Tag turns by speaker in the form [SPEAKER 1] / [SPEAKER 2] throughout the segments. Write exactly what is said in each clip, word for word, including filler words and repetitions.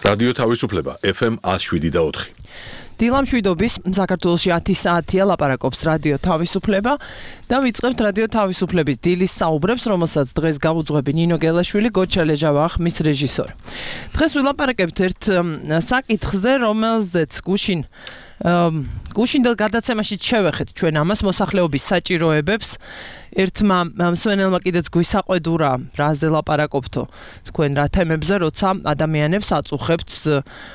[SPEAKER 1] რადიო თავისუფლება ეფ ემ one oh seven და four.
[SPEAKER 2] დილამშვიდობის საქართველოში ათი საათია ლაპარაკობს რადიო თავისუფლება და ვიწყებთ რადიო თავისუფლების დილის საუბრებს, რომელსაც დღეს გავუძღვები ნინო გელაშვილი, გოჩა ლეჟავა ხმის რეჟისორი. დღეს ვილაპარაკებთ ერთ საკითხზე, რომელზეც გუშინ გუშინდელ გადაცემაში შევეხეთ ჩვენ ამას მოსახლეობის საჭიროებებს. ერთმა მსმენელმა კიდეც გვისაყვედურა, რაზე ლაპარაკობთო თქვენ რა თემებზე, როცა ადამიანებს აწუხებთ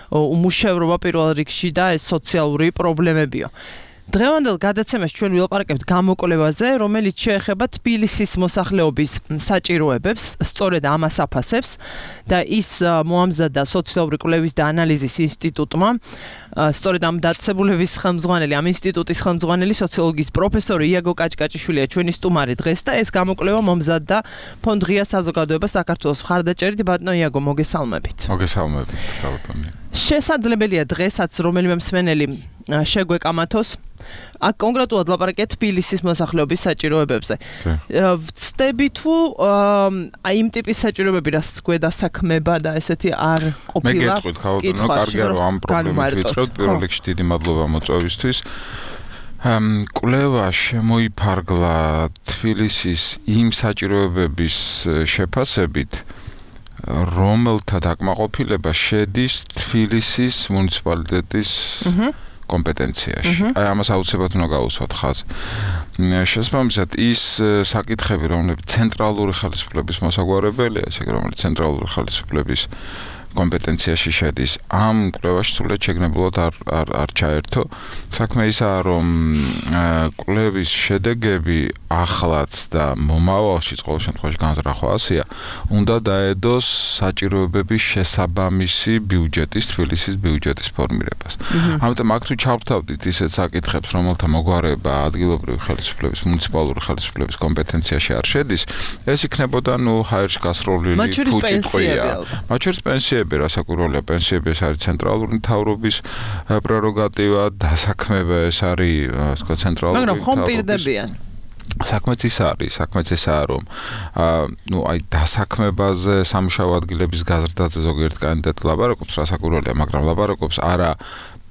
[SPEAKER 2] უმუშევრობა პირველ რიგში და ეს სოციალური პრობლემებიო. დღევანდელ გადაცემაში ჩვენ ვილაპარაკებთ გამოკვლევაზე, რომელიც შეეხება თბილისის მოსახლეობის საჭიროებებს, სწორედ ამას აფასებს და ის მოამზადა სოციალური კვლევის და ანალიზის ინსტიტუტმა. სწორედ ამ დაწესებულების ხელმძღვანელი, ამ ინსტიტუტის ხელმძღვანელი სოციოლოგიის პროფესორი იაგო კაჭკაჭიშვილია ჩვენი სტუმარი დღეს და ეს გამოკვლევა მომზადდა ფონდ ღია საზოგადოება საქართველოს მხარდაჭერით. ბატონო იაგო, მოგესალმებით.
[SPEAKER 3] მოგესალმებით, ბატონო.
[SPEAKER 2] შესაძლებელია დღესაც რომელიმე მსმენელი შეგვეკამათოს აქ კონკრეტულად ლაპარაკეთ თბილისის მოსახლეობის საჭიროებებზე. ვწდები თუ აი იმ ტიპის საჭიროებები, რაც გვედასაქმება და ესეთი არ ყოფილა.
[SPEAKER 3] მე გეტყვით, ხავდნო, კარგია რომ ამ პრობლემით ვიწყებთ. პირველ რიგში დიდი მადლობა მოწვევისთვის. კვლევა შემოიფარგლა თბილისის იმ საჭიროებების შეფასებით, რომელთა დაკმაყოფილება შედის თბილისის მუნიციპალიტეტის კომპეტენციაში. აი ამას აუცილებლად უნდა გავუსვათ ხაზი. შესაბამისად ის საკითხები, რომლებიც ცენტრალური ხელისუფლების მოსაგვარებელია, ესე რომელიც ცენტრალური ხელისუფლების კომპეტენციაში შედის, ამ კვლევაში სულად შეგნებულად არ არ არ ჩაერთო. საქმე ისაა, რომ კვლევის შედეგები ახლაც და მომავალში ყოველ შემთხვევაში განზრახვა ასეა, უნდა დაედოს საჭიროებების შესაბამისი ბიუჯეტის, თბილისის ბიუჯეტის ფორმირებას. ამიტომ აქ თუ ჩავთავდით ისეთ საკითხებს, რომელთა მოგვარება ადგილობრივი ხელისუფლების, მუნიციპალური ხელისუფლების კომპეტენციაში არ შედის, ეს იქნებოდა ნუ ჰაერში გასროლილი ფუჭი ტყვია. მათ შორის პენსიები რასაკვირველია, პენსიები ეს არის ცენტრალური მთავრობის პრეროგატივა, დასაქმება ეს არის, ასე ვთქვათ, ცენტრალური
[SPEAKER 2] მაგრამ ხომ პირდებიან.
[SPEAKER 3] საქმეც ის არის, საქმეც ისაა, რომ ნუ აი დასაქმებაზე, სამუშაო ადგილების გაზრდაზე ზოგიერთ კანდიდატი ლაპარაკობს, რასაკვირველია, მაგრამ ლაპარაკობს არა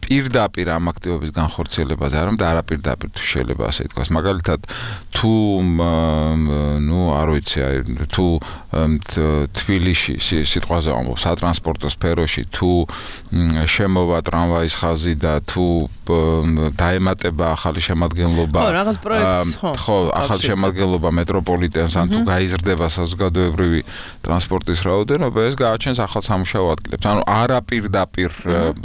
[SPEAKER 3] პირდაპირ ამ აქტივობის განხორციელებაზე, არამედ არაპირდაპირ თუ შეიძლება ასე ითქვას. მაგალითად, თუ ნუ არ ვიცი, აი თუ თბილისში სიტყვაზე ვამბობ, სატრანსპორტო სფეროში თუ შემოვა ტრამვაის ხაზი და თუ დაემატება ახალი შემადგენლობა,
[SPEAKER 2] ხო, რაღაც პროექტს, ხო,
[SPEAKER 3] ხო, ახალი შემადგენლობა მეტროპოლიტენს, ან თუ გაიზრდება საზოგადოებრივი ტრანსპორტის რაოდენობა, ეს გააჩენს ახალ სამუშაო ადგილებს. ანუ არაპირდაპირ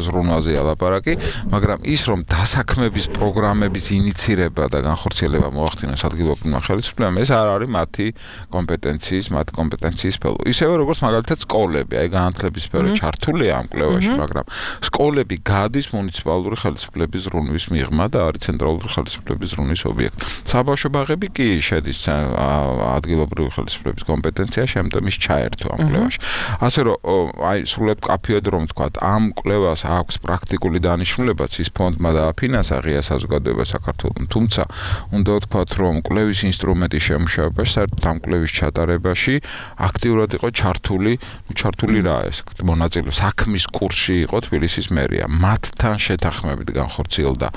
[SPEAKER 3] ზრუნვაზეა ლაპარაკი. მაგრამ ის რომ დასაქმების პროგრამების ინიცირება და განხორციელება მოახდინოს ადგილობრივმა ხელისუფლებამ, ეს არ არის მათი კომპეტენციის, მათი კომპეტენციის სფერო. ისევე როგორც მაგალითად სკოლები, აი განათლების სფერო ჩართულია ამ კვლევაში, მაგრამ სკოლები გადის მუნიციპალური ხელისუფლების ზრუნვის მიღმა და არის ცენტრალური ხელისუფლების ზრუნვის ობიექტი. საბავშვო ბაღები კი შედის ადგილობრივი ხელისუფლების კომპეტენციაში, ამიტომ ის ჩაერთო ამ კვლევაში. ასე რომ აი სრულად კაფეოდ რომ ვთქვათ, ამ კვლევას აქვს პრაქტიკული დანიშნულებაც ის ფონდმა დააფინანსა ღია საზოგადოება საქართველოს. თუმცა უნდა ვთქვათ, რომ კვლევის ინსტრუმენტის შემუშავებაში, საერთოდ ამ კვლევის ჩატარებაში აქტიურად იყო ჩართული, ჩართული რა ეს მონაწილე საქმის კურსში იყო თბილისის მერია. მათთან შეთანხმებით განხორციელდა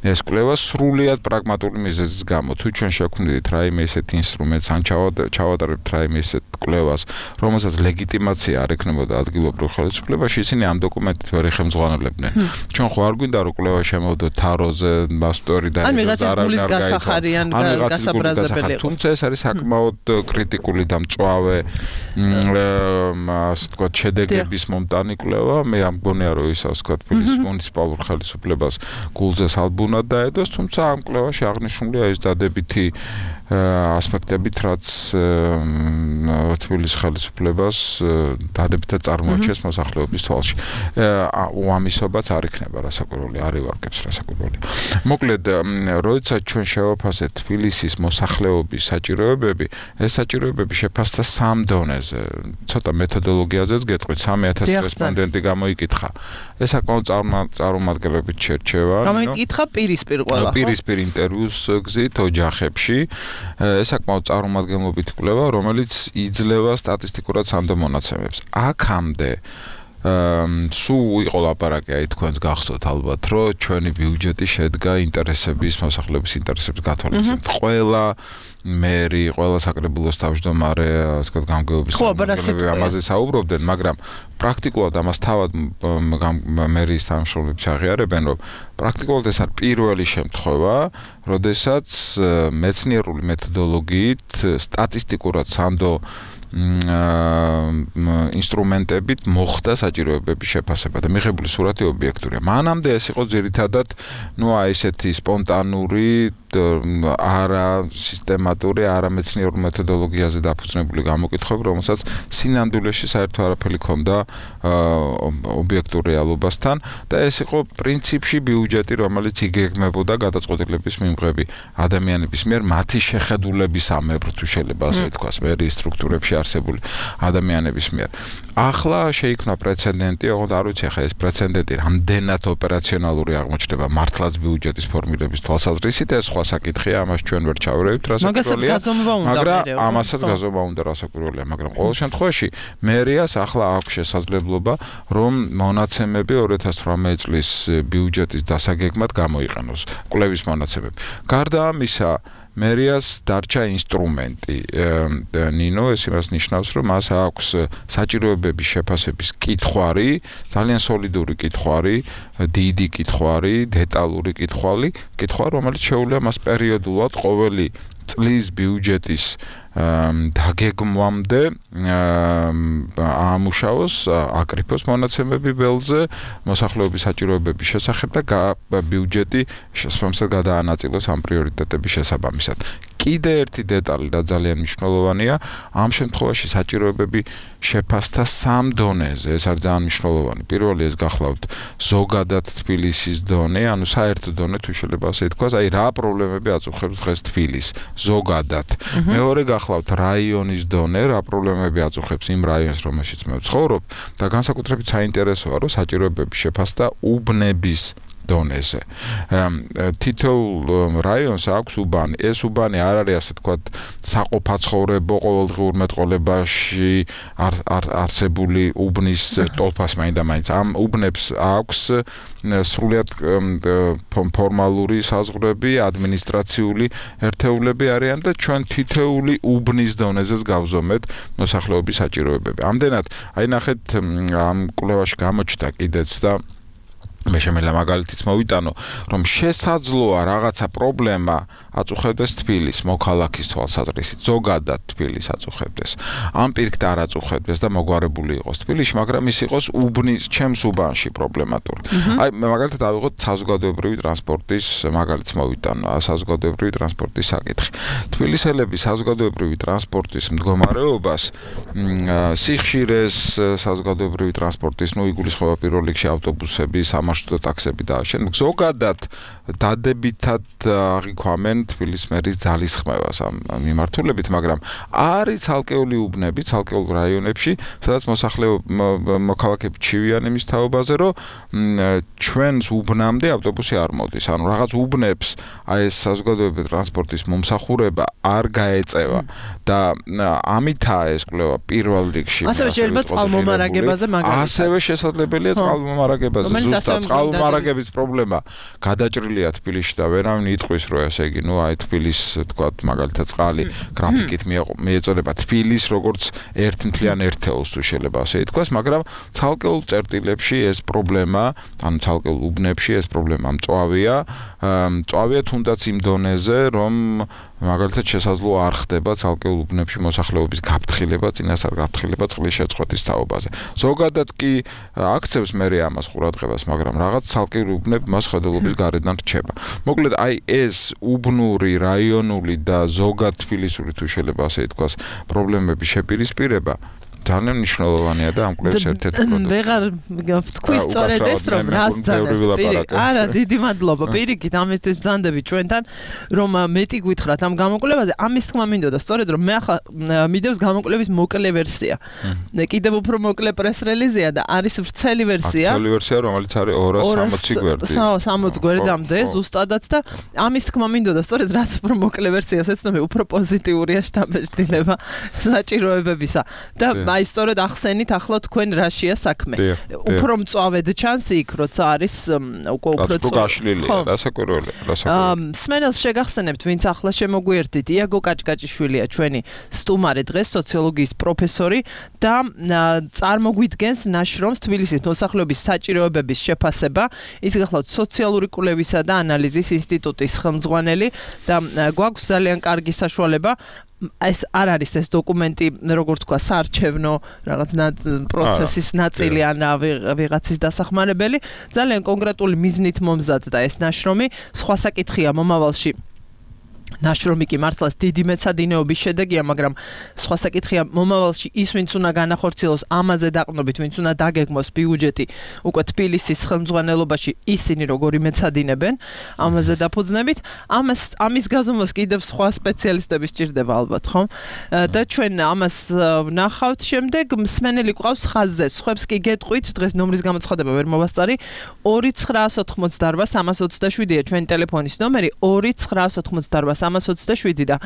[SPEAKER 3] ეს კვლევა სრულიად პრაგმატული მიზეზის გამო. თუ ჩვენ შევქმნით რაიმე ისეთ ინსტრუმენტს, ან ჩავატარებთ რაიმე ისეთ კვლევას, რომელსაც ლეგიტიმაცია არ ექნებოდა ადგილობრივ ხელისუფლებაში, ისინი ამ დოკუმენტით ვერ ეხელმძღვანელებდნენ. ჩვენ ხო არ გვინდა რომ კვლევა შემოვიდოთ თაროზე, მასტორი და
[SPEAKER 2] ან ვიღაცის გულის გასახარიან, გასაბრაზებელი იყო.
[SPEAKER 3] თუმცა ეს არის საკმაოდ კრიტიკული და მწვავე ასე ვთქვათ შედეგების მომტანი კვლევა. მე ამ მგონია რომ ის ასე ვთქვათ თბილისის მუნიციპალურ ხელისუფლებას გულზე სალბუნად დაედოს, თუმცა ამ კვლევაში აღნიშნულია ის დადებითი ასპექტებით, რაც თბილისის ხელისუფლებას დადებითად წარმოაჩენს მოსახლეობის თვალში. უამისობაც არ იქნება, რასაკვირველია, არ ივარგებს რასაკვირველია. მოკლედ, როდესაც ჩვენ შევაფასეთ თბილისის მოსახლეობის საჭიროებები, ეს საჭიროებები შეფასდა სამ დონეზე. ცოტა მეთოდოლოგიაზეც გეტყვით, სამი ათასი რესპონდენტი გამოიკითხა. ეს საკმაოდ წარმომადგენლობით შერჩევა.
[SPEAKER 2] გამოიკითხა პირისპირ ყველა, ხო?
[SPEAKER 3] პირისპირ ინტერვიუს გზით ოჯახებში. ეს საკმაოდ წარმომადგენლობით კვლევა, რომელიც იძლევა სტატისტიკურად სანდო მონაცემებს. აქამდე სულ იყო ლაპარაკი აი თქვენს გახსოვთ ალბათ რომ ჩვენი ბიუჯეტი შედგა ინტერესების მოსახლეობის ინტერესების გათვალისწინებით ყველა მერი ყველა საკრებულოს თავმჯდომარე ასე ვთქვათ გამგეობის
[SPEAKER 2] ხელმძღვანელები
[SPEAKER 3] ამაზე საუბრობდნენ მაგრამ პრაქტიკულად ამას თავად მერის თანამშრომლები აღიარებენ რომ პრაქტიკულად ეს არის პირველი შემთხვევა როდესაც მეცნიერული მეთოდოლოგიით სტატისტიკურად სანდო ინსტრუმენტებით მოხდა საჭიროებების შეფასება და მიღებული სურათი ობიექტურია. მანამდე ეს იყო ძირითადად, ну, აი ესეთი სპონტანური, არა სისტემატური, არა მეცნიერულ მეთოდოლოგიაზე დაფუძნებული გამოკითხვები, რომელსაც სინამდვილეში საერთო არაფერი ჰქონდა ობიექტურ რეალობასთან და ეს იყო პრინციპში ბიუჯეტი, რომელიც იგეგმებოდა გადაწყვეტილების მიმღები ადამიანების მიერ მათი შეხედულების ამებრ თუ შეიძლება ასე ვთქვას, მერის სტრუქტურებში არსებული ადამიანების მიერ. ახლა შეიქმნა პრეცედენტი, ოღონდ არ ვიცი ახლა ეს პრეცედენტი რამდენად ოპერაციონალური აღმოჩნდება მართლაც ბიუჯეტის ფორმირების თვალსაზრისით, ეს სხვა საკითხია, ამას ჩვენ ვერ ჩავერევით, რასაკვირველია. მაგრამ ამასაც გაზომა უნდა რასაკვირველია, მაგრამ ყოველ შემთხვევაში მერიას ახლა აქვს შესაძლებლობა, რომ მონაცემები ორი ათას ათვრამეტი წლის ბიუჯეტის დასაგეგმად გამოიყენოს, კვლევის მონაცემები. გარდა ამისა, მერიას დარჩა ინსტრუმენტი. ნინო ეს იმას ნიშნავს, რომ მას აქვს საჭიროებების შეფასების კითხვარი, ძალიან სოლიდური კითხვარი, დიდი კითხვარი, დეტალური კითხვარი, კითხვარი, რომელიც შეუძლია მას პერიოდულად ყოველი წლის ბიუჯეტის დაგეგმვამდე აამუშავოს, აკრიფოს მონაცემები ველზე, მოსახლეობის საჭიროებების შესახებ და ბიუჯეტი შესაბამისად გადაანაწილოს ამ პრიორიტეტების შესაბამისად. კიდე ერთი დეტალი და ძალიან მნიშვნელოვანია, ამ შემთხვევაში საჭიროებები შეფასდა სამ დონეზე, ეს არის ძალიან მნიშვნელოვანი. პირველი ეს გახლავთ ზოგადად თბილისის დონე, ანუ საერთო დონე თუ შეიძლება ასე ითქვას, აი რა პრობლემები აწუხებს დღეს თბილისს ზოგადად. მეორე გახლავთ რაიონის დონე, რა პრობლემები აწუხებს იმ რაიონს, რომელშიც მე ვცხოვრობ და განსაკუთრებით საინტერესოა, რომ საჭიროებების შეფასდა უბნების დონეზე. თითოეულ რაიონს აქვს უბანი. ეს უბანი არ არის ასე ვთქვათ საყოფაცხოვრებო ყოველდღიურ მეტყოლებაში არსებული უბნის ტოლფას მაინდა-მაინც. ამ უბნებს აქვს სრულიად ფორმალური საზღვრები, ადმინისტრაციული ერთეულები არიან და ჩვენ თითოეული უბნის დონეზეც გავზომეთ მოსახლეობის საჭიროებები. ამდენად, აი ნახეთ ამ კვლევაში გამოჩნდა კიდეც და მე შემიძლია მაგალითიც მოვიტანო, რომ შესაძლოა რაღაცა პრობლემა აწუხებდეს თბილისს მოქალაქის თვალსაზრისით, ზოგადად თბილისს აწუხებდეს. ამ პირიქით არ აწუხებდეს და მოგვარებული იყოს თბილისში, მაგრამ ის იყოს უბნის, ჩემს უბანში პრობლემატური. აი მე მაგალითად ავიღოთ საზოგადოებრივი ტრანსპორტის მაგალითს მოვიტანო, საზოგადოებრივი ტრანსპორტის საკითხი. თბილისელები საზოგადოებრივი ტრანსპორტის მდგომარეობას, სიხშირეს საზოგადოებრივი ტრანსპორტის, ნუ იგულისხმება პირველ რიგში ავტობუსები, სამარშრუტო ტაქსები და შენ ზოგადად დადებითად აღიქვამენ თბილისის მერის ძალისხმევას ამ მიმართულებით, მაგრამ არის ცალკეული უბნები, ცალკეულ რაიონებში, სადაც მოქალაქეები ჩივიან იმის თაობაზე, რომ ჩვენს უბნამდე ავტობუსი არ მოდის. ანუ რაღაც უბნებს აი ეს საზოგადოებრივი ტრანსპორტის მომსახურება არ გაეწევა და ამითაა ეს კვლევა პირველ რიგში.
[SPEAKER 2] ასევე შეიძლება წყალმომარაგებაზე მაგალითად.
[SPEAKER 3] ასევე შესაძლებელია წყალმომარაგებაზე. ზუსტად წყალმომარაგების პრობლემა გადაჭრილია თბილისში და ვერავინ იტყვის, რომ ესე იგი, ნუ აი თბილის, თქვათ, მაგალითად წყალი გრაფიკით მიეწოდება თბილის როგორც ერთმთლიან ერთეულს თუ შეიძლება ასე ითქვას, მაგრამ ცალკეულ წერტილებში ეს პრობლემა, ანუ ცალკეულ უბნებში ეს პრობლემა მწვავეა, მწვავეა თუნდაც იმ დონეზე, რომ მაგალითად შესაძლოა არ ხდება ცალკეულ უბნებში მოსახლეობის გაფრთხილება, წინასწარ გაფრთხილება წყლის შეწყვეტის თაობაზე. ზოგადად კი აქცევს მე ამას ყურადღებას, მაგრამ რაღაც ცალკეული უბნები მას ხედელობის გარედან რჩება. მოკლედ, აი ეს უბნური, რაიონული და ზოგად თბილისური თუ შეიძლება ასე ითქვას, პრობლემების შეპირისპირება ძალიან მნიშვნელოვანია და ამ კვლევის ერთ-ერთი პროდუქტი.
[SPEAKER 2] ვეღარ ვთქვი სწორედ ეს, რომ რას ძანებს. არა, დიდი მადლობა. პირიქით, ამისთვის ბრძანდები ჩვენთან, რომ მეტი გითხრათ ამ გამოკვლევაზე. ამის თქმა მინდოდა, სწორედ რომ მე ახლა მიდევს გამოკვლევის მოკლე ვერსია. კიდევ უფრო მოკლე პრეს-რელიზია და არის ვრცელი ვერსია.
[SPEAKER 3] ვრცელი ვერსია, რომელიც არის ორას სამოცი გვერდი.
[SPEAKER 2] სამოცი გვერდამდე ზუსტადაც და ამის თქმა მინდოდა, სწორედ რაც უფრო მოკლე ვერსიას ეცნობი, უფრო პოზიტიურია შთაბეჭდილება საჭიროებებისა. და აი აი სწორედ ახსენით ახლა თქვენ რაშია საქმე. უფრო მწვავედ ჩანს იქ, როცა არის უკვე უფრო
[SPEAKER 3] გაშლილია, რასაკვირველია, რასაკვირველია.
[SPEAKER 2] სმენელს შეგახსენებთ, ვინც ახლა შემოგვიერთდით, იაგო კაჭკაჭიშვილია ჩვენი სტუმარი დღეს, სოციოლოგიის პროფესორი და წარმოგვიდგენს ნაშრომს თბილისის მოსახლეობის საჭიროებების შეფასება. ის გახლავთ სოციალური კვლევისა და ანალიზის ინსტიტუტის ხელმძღვანელი და გვაქვს ძალიან კარგი საშუალება ეს არ არის ეს დოკუმენტი, როგორ თქვა, საარჩევნო რაღაც პროცესის ნაწილი ან ვიღაცის დასახმარებელი, ძალიან კონკრეტული მიზნით მომზადდა ეს ნაშრომი. სხვა საკითხია მომავალში ნაშრომი კი მართლაც დიდი მეცადინეობის შედეგია, მაგრამ სხვა საკითხია მომავალში ის ვინც უნდა განახორციელოს ამაზე დაყრდნობით, ვინც უნდა დაგეგმოს ბიუჯეტი უკვე თბილისის ხელმძღვანელობაში, ისინი როგორი მეცადინებენ ამაზე დაფუძნებით. ამას ამის გაზომვას კიდევ სხვა სპეციალისტები სჭირდება ალბათ, ხო? და ჩვენ ამას ვნახავთ შემდეგ, მსმენელი ყავს ხაზზე, სხვებს კი გეტყვით, დღეს ნომრის გამოცხადება ვერ მოვასწარი, ორი ცხრაას ოთხმოცდაორვა სამას ოცდაშვიდია ჩვენი ტელეფონის ნომერი, ორი ცხრაას ოთხმოცდაორვა სამას ოცდაშვიდი და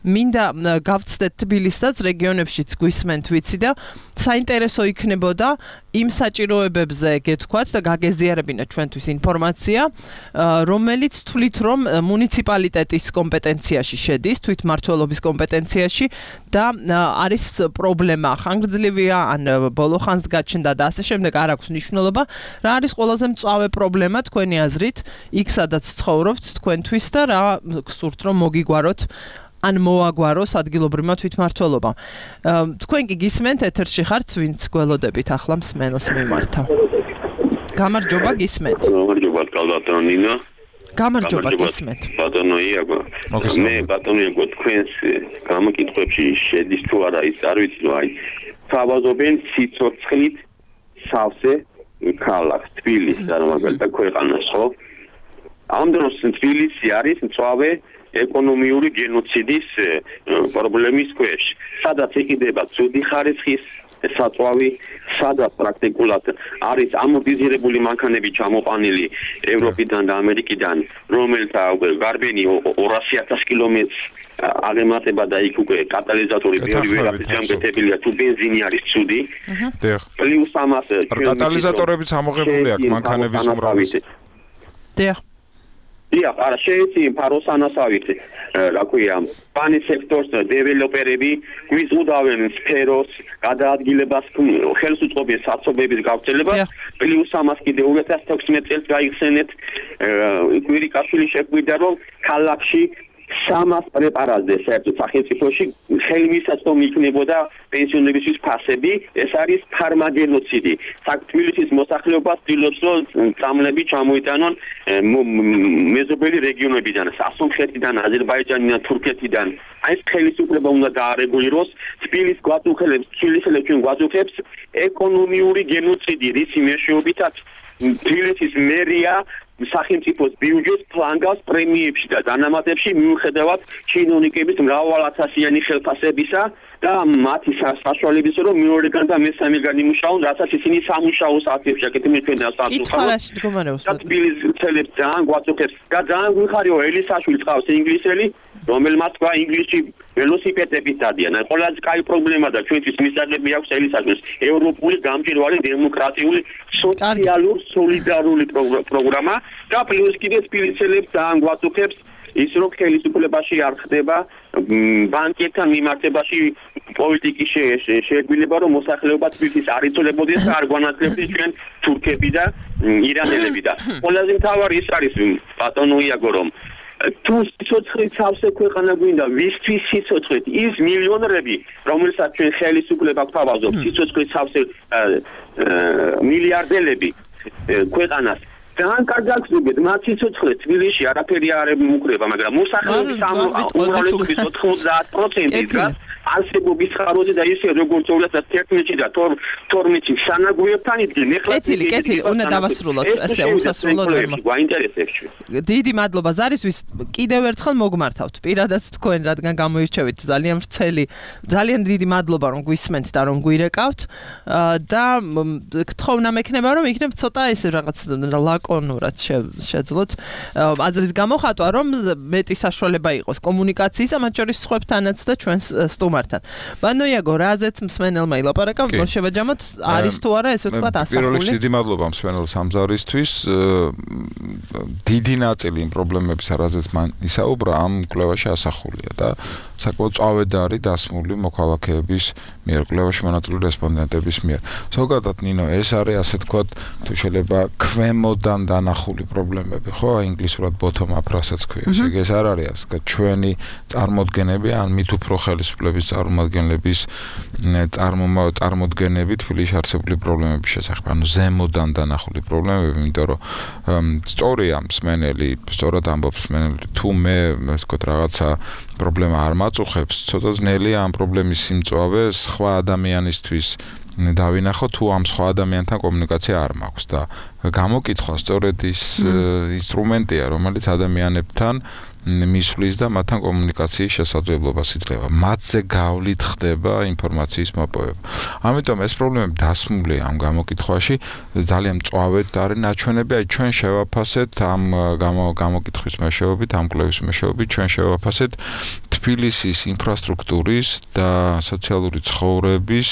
[SPEAKER 2] მინდა გავცდეთ თბილისსაც, რეგიონებშიც გვისმენთ ვიცი და საინტერესო იქნებოდა იმ საჭიროებებზე გეთქვათ და გაგეზიარებინათ ჩვენთვის ინფორმაცია, რომელიც თვლით რომ მუნიციპალიტეტის კომპეტენციაში შედის, თვითმმართველობის კომპეტენციაში და არის პრობლემა ხანგრძლივია, ან ბოლო ხანს გაჩნდა და ასე შემდეგ, არ აქვს მნიშვნელობა. რა არის ყველაზე მწვავე პრობლემა თქვენი აზრით, იქ სადაც ცხოვრობთ თქვენთვის და რა გსურთ რომ მოგიგვაროთ ან მოაგვაროს ადგილობრივმა თვითმმართველობამ. თქვენ კი გისმენთ, ეთერში ხართ, ვინც გველოდებით ახლა მსმენელს მიმართავ. გამარჯობა, გისმენთ.
[SPEAKER 4] გამარჯობა, კალბატონო ნინო.
[SPEAKER 2] გამარჯობა, გისმენთ.
[SPEAKER 4] ბატონო იაგო. მე ბატონო იაგო, თქვენს გამოკითხვებში შედის თუ არა ის არ ვიცი, რომ აი თავაზობენ სიცოცხლით სავსე ქალაქს, თბილისს და მაგალითად ქვეყანას, ხო? ამ დროს თბილისი არის მწვავე ეკონომიური გენოციდის პრობლემის ქვეშ. სადაც იყიდება ცუდი ხარისხის საწვავი, სადაც პრაქტიკულად არის ამორტიზირებული მანქანები ჩამოყვანილი ევროპიდან და ამერიკიდან, რომელთა გარბენი ორასი ათას კილომეტრს აღემატება და იქ უკვე კატალიზატორი ბევრი ვერაფერს გამგეთებელია, თუ ბენზინი არის ცუდი. პლუს ამას
[SPEAKER 3] კატალიზატორებიც ამოღებული აქვს მანქანების უმრავლესი.
[SPEAKER 2] დიახ.
[SPEAKER 4] დიახ, არა შეიძლება ფაროს ანასავით, რა ქვია, ბანის სექტორს დეველოპერები გვიზღუდავენ სფეროს გადაადგილებას, ხელს უწყობენ საცობების გავრცელებას, პლუს ამას კიდე ორი ათას თექვსმეტ წელს გაიხსენეთ, კვირიკაშვილი შეგვიდა რომ ქალაქში სამას პრეპარატზე საერთოდ სახელმწიფოში ხელმისაწვდომ იქნებოდა პენსიონერების ფასები, ეს არის ფარმაგენოციდი. თბილისის მოსახლეობას ცდილობს რომ წამლები ჩამოიტანონ მეზობელი რეგიონებიდან, სასუნხეთიდან, აზერბაიჯანიდან, თურქეთიდან. აი ეს ხელისუფლება უნდა დაარეგულიროს, თბილის გვაწუხებს, თბილისელებს ჩვენ გვაწუხებს ეკონომიური გენოციდი, რის მეშვეობითაც თბილისის მერია სახელმწიფოს ბიუჯეტს ფლანგავს პრემიებში და დანამატებში მიუხედავად ჩინოვნიკების მრავალათასიანი ხელფასებისა და მათი საშუალებისა, რომ მეორეგან და მესამეგან იმუშაონ, რასაც ისინი სამუშაო საათებში აკეთებენ ჩვენ დასაწყისად. თბილისის ცელებს ძალიან გვაწუხებს და ძალიან გვიხარიო ელისაშვილი წავს ინგლისელი, რომელმაც თქვა ინგლისში ველოსიპედებით დადიან. აი ყველაზე კაი პრობლემა და ჩვენთვის მისაღები აქვს ელისაშვილს ევროპული გამჭირვალე დემოკრატიული სოციალურ სოლიდარული პროგრამა და პლუს კიდე თბილისელებს ძალიან გვაწუხებს ის რომ ხელისუფლებაში არ ხდება ბანკებთან მიმართებაში პოლიტიკის შეერგვილება, რომ მოსახლეობა თბილისის არ იცოლებოდეს და არ გვანაცვლებდეს ჩვენ თურქები და ირანელები და ყველაზე მთავარი ის არის ბატონო იაგო, რომ თუ სიცოცხლით სავსე ქვეყანა გვინდა, ვისთვის სიცოცხლით ის მილიონერები, რომელსაც ჩვენ ხელისუფლება გვთავაზობს, სიცოცხლით სავსე მილიარდელები ქვეყანას ძალიან კარგად გზობთ, მათ სიცოცხლე თბილისში არაფერი არ მუქრება, მაგრამ მოსახლეობის უმრავლესობის ოთხმოცდაათ პროცენტი დგას არსებობის ხაროზე და ისე როგორც ორი ათას თერთმეტში და თორმეტში სანაგვიებთან იდგნენ. ეხლა
[SPEAKER 2] კეთილი, კეთილი, უნდა დავასრულოთ, ესე უსასრულოდ ვერ
[SPEAKER 4] გვაინტერესებს.
[SPEAKER 2] დიდი მადლობა ზარისთვის, კიდევ ერთხელ მოგმართავთ. პირადად თქვენ, რადგან გამოირჩევით ძალიან ვრცელი, ძალიან დიდი მადლობა რომ გვისმენთ და რომ გვირეკავთ და გთხოვნა მექნება რომ იქნებ ცოტა ესე რაღაც ლაკონურად შეძლოთ აზრის გამოხატვა, რომ მეტი საშუალება იყოს კომუნიკაციის, მათ შორის სხვებთანაც და ჩვენს სტუმარს სტუმართან. ბანოიაგო, რაზეც მსმენელმა ილაპარაკა, რომ შევაჯამოთ, არის თუ არა ესე ვთქვათ ასახული.
[SPEAKER 3] პირველ რიგში დიდი მადლობა მსმენელ სამგზავრისთვის. დიდი ნაწილი იმ პრობლემების, რაზეც მან ისაუბრა, ამ კვლევაში ასახულია და საკმაოდ წავედარი დასმული მოქალაქეების მიერ, კვლევაში მონაწილე რესპონდენტების მიერ. ზოგადად ნინო, ეს არის ასე ვთქვათ, თუ შეიძლება ქვემოდან დანახული პრობლემები, ხო, ინგლისურად bottom up რასაც ქვია. ესე იგი ეს არ არის ასე, ჩვენი წარმოდგენები, ან მით უფრო ხელისუფლების წარმომადგენლების წარმოდგენები თბილისში არსებული პრობლემების შესახებ, ანუ ზემოდან დანახული პრობლემები, იმიტომ რომ სწორია მსმენელი, სწორად ამბობს მსმენელი, თუ მე ასე ვთქვათ რაღაცა პრობლემა არ მაწუხებს, ცოტა ძნელია ამ პრობლემის სიმწვავე სხვა ადამიანისთვის დავინახო, თუ ამ სხვა ადამიანთან კომუნიკაცია არ მაქვს და გამოკითხვა სწორედ ის ინსტრუმენტია, რომელიც ადამიანებთან მისვლის და მათთან კომუნიკაციის შესაძლებლობას იძლევა. მათზე გავლით ხდება ინფორმაციის მოპოვება. ამიტომ ეს პრობლემები დასმულია ამ გამოკითხვაში, ძალიან მწვავედ არის ნაჩვენები, აი ჩვენ შევაფასეთ ამ გამოკითხვის მეშვეობით, ამ კვლევის მეშვეობით ჩვენ შევაფასეთ თბილისის ინფრასტრუქტურის და სოციალური ცხოვრების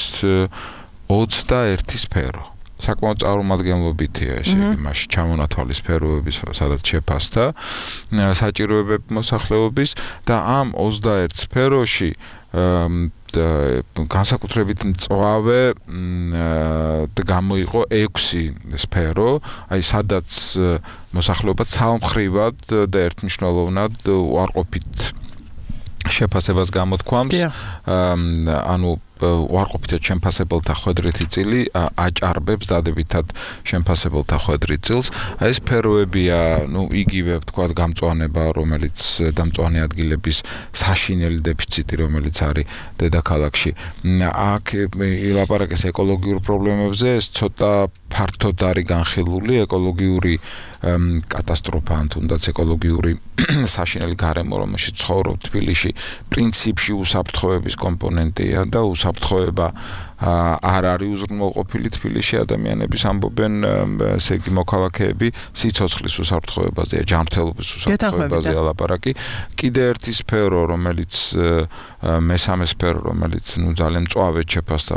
[SPEAKER 3] ოცდაერთი სფერო. საკმაოდ წარმომადგენლობითია, ესე იგი, მასში ჩამონათვალი სფეროების, სადაც შეფასდა საჭიროებები მოსახლეობის და ამ ოცდაერთ სფეროში განსაკუთრებით მწვავე გამოიყო ექვსი სფერო, აი სადაც მოსახლეობა ცალმხრივად და ერთმნიშვნელოვნად უარყოფით შეფასებას გამოთქვამს, ანუ უარყოფითად შემფასებელთა ხვედრითი წილი აჭარბებს დადებითად შემფასებელთა ხვედრით წილს. აი ეს სფეროებია, ნუ იგივე ვთქვათ, გამწვანება, რომელიც და მწვანე ადგილების საშინელი დეფიციტი, რომელიც არის დედაქალაქში. აქ ილაპარაკეს ეკოლოგიურ პრობლემებზე, ეს ცოტა ფართოდ არის განხილული, ეკოლოგიური კატასტროფა, ან თუნდაც ეკოლოგიური საშინელი გარემო, რომელშიც ცხოვრობ თბილისში, პრინციპში უსაფრთხოების კომპონენტია და უსაფრთხოება არ არის უზრუნველყოფილი თბილისში ადამიანების ამბობენ, ესე იგი მოქალაქეები სიცოცხლის უსაფრთხოებაზეა, ჯანმრთელობის უსაფრთხოებაზეა ლაპარაკი. კიდე ერთი სფერო, რომელიც მესამე სფერო, რომელიც ნუ ძალიან მწვავედ შეფასდა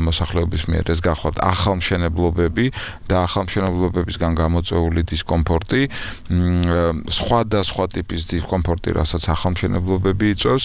[SPEAKER 3] მოსახლეობის მიერ, ეს გახლავთ ახალმშენებლობები და ახალმშენებლობებისგან გამოწვეული დისკომფორტი, სხვადასხვა ტიპის დისკომფორტი, რასაც ახალმშენებლობები იწვევს.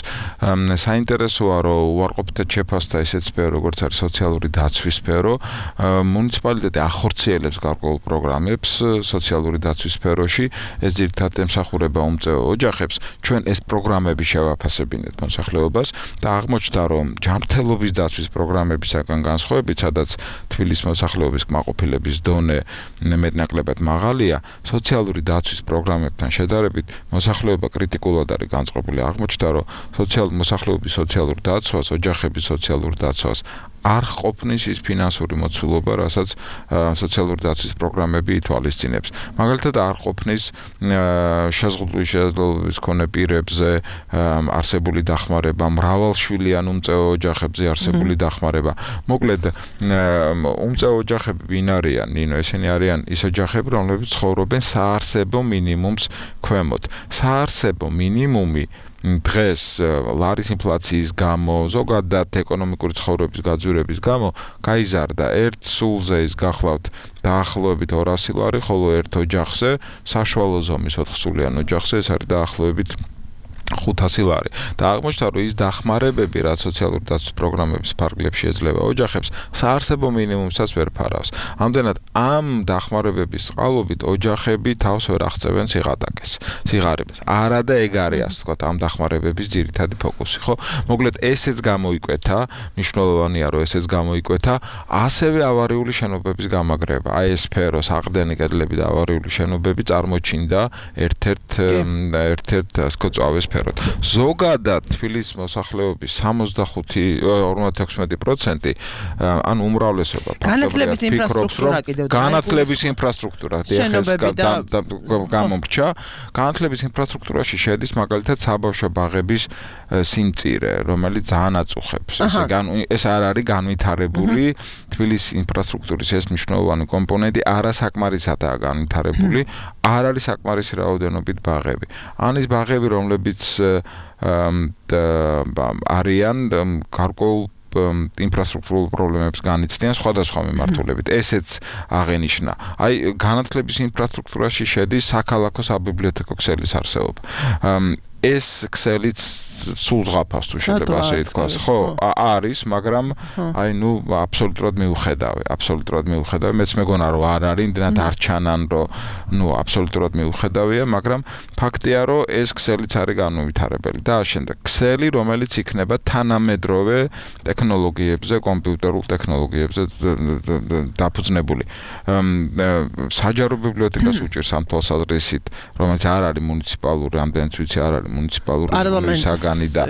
[SPEAKER 3] საინტერესოა, რომ უარყოფითად შეფასდა ესეთ სფერო, როგორც არის სოციალური დაცვის სფერო. მუნიციპალიტეტი ახორციელებს გარკვეულ პროგრამებს სოციალური დაცვის სფეროში, ეს ძირითადად ემსახურება უმწეო ოჯახებს. ჩვენ ეს პროგრამები შევაფასებინეთ მოსახლეობას და აღმოჩნდა, რომ ჯანმრთელობის დაცვის პროგრამებისაგან განსხვავებით, სადაც თბილისის მოსახლეობის კმაყოფილების დონე მეტნაკლებად მაღალია, სოციალური დაცვის პროგრამებთან შედარებით მოსახლეობა კრიტიკულად არის განწყობილი. აღმოჩნდა, რომ სოციალ მოსახლეობის სოციალურ დაცვას, ოჯახების სოციალურ დაცვას არ ყოფნის ის ფინანსური მოცულობა, რასაც სოციალური დაცვის პროგრამები ითვალისწინებს. მაგალითად, არ ყოფნის შეზღუდული შესაძლებლობების მქონე პირებზე არსებული დახმარება, მრავალშვილიან უმწეო ოჯახებზე არსებული დახმარება. მოკლედ, უმწეო ოჯახები ვინ არიან? ნინო, ესენი არიან ის ოჯახები, რომლებიც ცხოვრობენ საარსებო მინიმუმს ქვემოთ. საარსებო მინიმუმი დღეს ლარის ინფლაციის გამო, ზოგადად ეკონომიკური ცხოვრების გაძვირების გამო გაიზარდა. ერთ სულზე ის გახლავთ დაახლოებით ორასი ლარი, ხოლო ერთ ოჯახზე, საშუალო ზომის ოთხსულიან ოჯახზე ეს არის დაახლოებით ხუთასი ლარი. და აღმოჩნდა, რომ ის დახმარებები, რაც სოციალური დაცვის პროგრამების ფარგლებში ეძლევა ოჯახებს, საარსებო მინიმუმსაც ვერ ფარავს. ამდენად, ამ დახმარებების წყალობით ოჯახები თავს ვერ აღწევენ სიღატაკეს, სიღარიბეს. არა და ეგ არის, ასე ვთქვათ, ამ დახმარებების ძირითადი ფოკუსი, ხო? მოკლედ, ესეც გამოიკვეთა, მნიშვნელოვანია, რომ ესეც გამოიკვეთა, ასევე ავარიული შენობების გამაგრება. აი ეს სფერო, საყრდენი კედლები და ავარიული შენობები წარმოჩინდა ერთ-ერთ ერთ-ერთ ასე ვთქვათ, წავეს ზოგადად თბილისის მოსახლეობის სამოცდახუთი ორმოცდაექვსმეტი პროცენტი ან უმრავლესობა
[SPEAKER 2] განათლების ინფრასტრუქტურა კიდევ
[SPEAKER 3] განათლების ინფრასტრუქტურა გამომრჩა. განათლების ინფრასტრუქტურაში შედის მაგალითად საბავშვო ბაღების სიმწირე, რომელიც ძალიან აწუხებს. ეს არ არის განვითარებული თბილისის ინფრასტრუქტურის ეს მნიშვნელოვანი კომპონენტი, არასაკმარისადაა განვითარებული, არ არის საკმარისი რაოდენობით ბაღები. ან ის ბაღები, რომლებიც არიან გარკვეულ ინფრასტრუქტურულ პრობლემებს განიცდიან სხვადასხვა მიმართულებით. ესეც აღენიშნა. აი განათლების ინფრასტრუქტურაში შედის საქალაქო საბიბლიოთეკო ქსელის არსებობა. ეს ქსელიც სულ ზღაფავს თუ შეიძლება ასე ითქვას. ხო, არის, მაგრამ აი ნუ აბსოლუტურად მიუხედავი, აბსოლუტურად მიუხედავი. მეც მეგონა რომ არ არის, იმდენად არ ჩანან, რომ ნუ აბსოლუტურად მიუხედავია, მაგრამ ფაქტია, რომ ეს ქსელიც არის განუვითარებელი. და შემდეგ ქსელი, რომელიც იქნება თანამედროვე ტექნოლოგიებზე, კომპიუტერულ ტექნოლოგიებზე დაფუძნებული. საჯარო ბიბლიოთეკას უჭერს ამ თვალსაზრისით, რომელიც არ არის მუნიციპალური, რამდენიც ვიცი არ არის მუნიციპალური საგანი და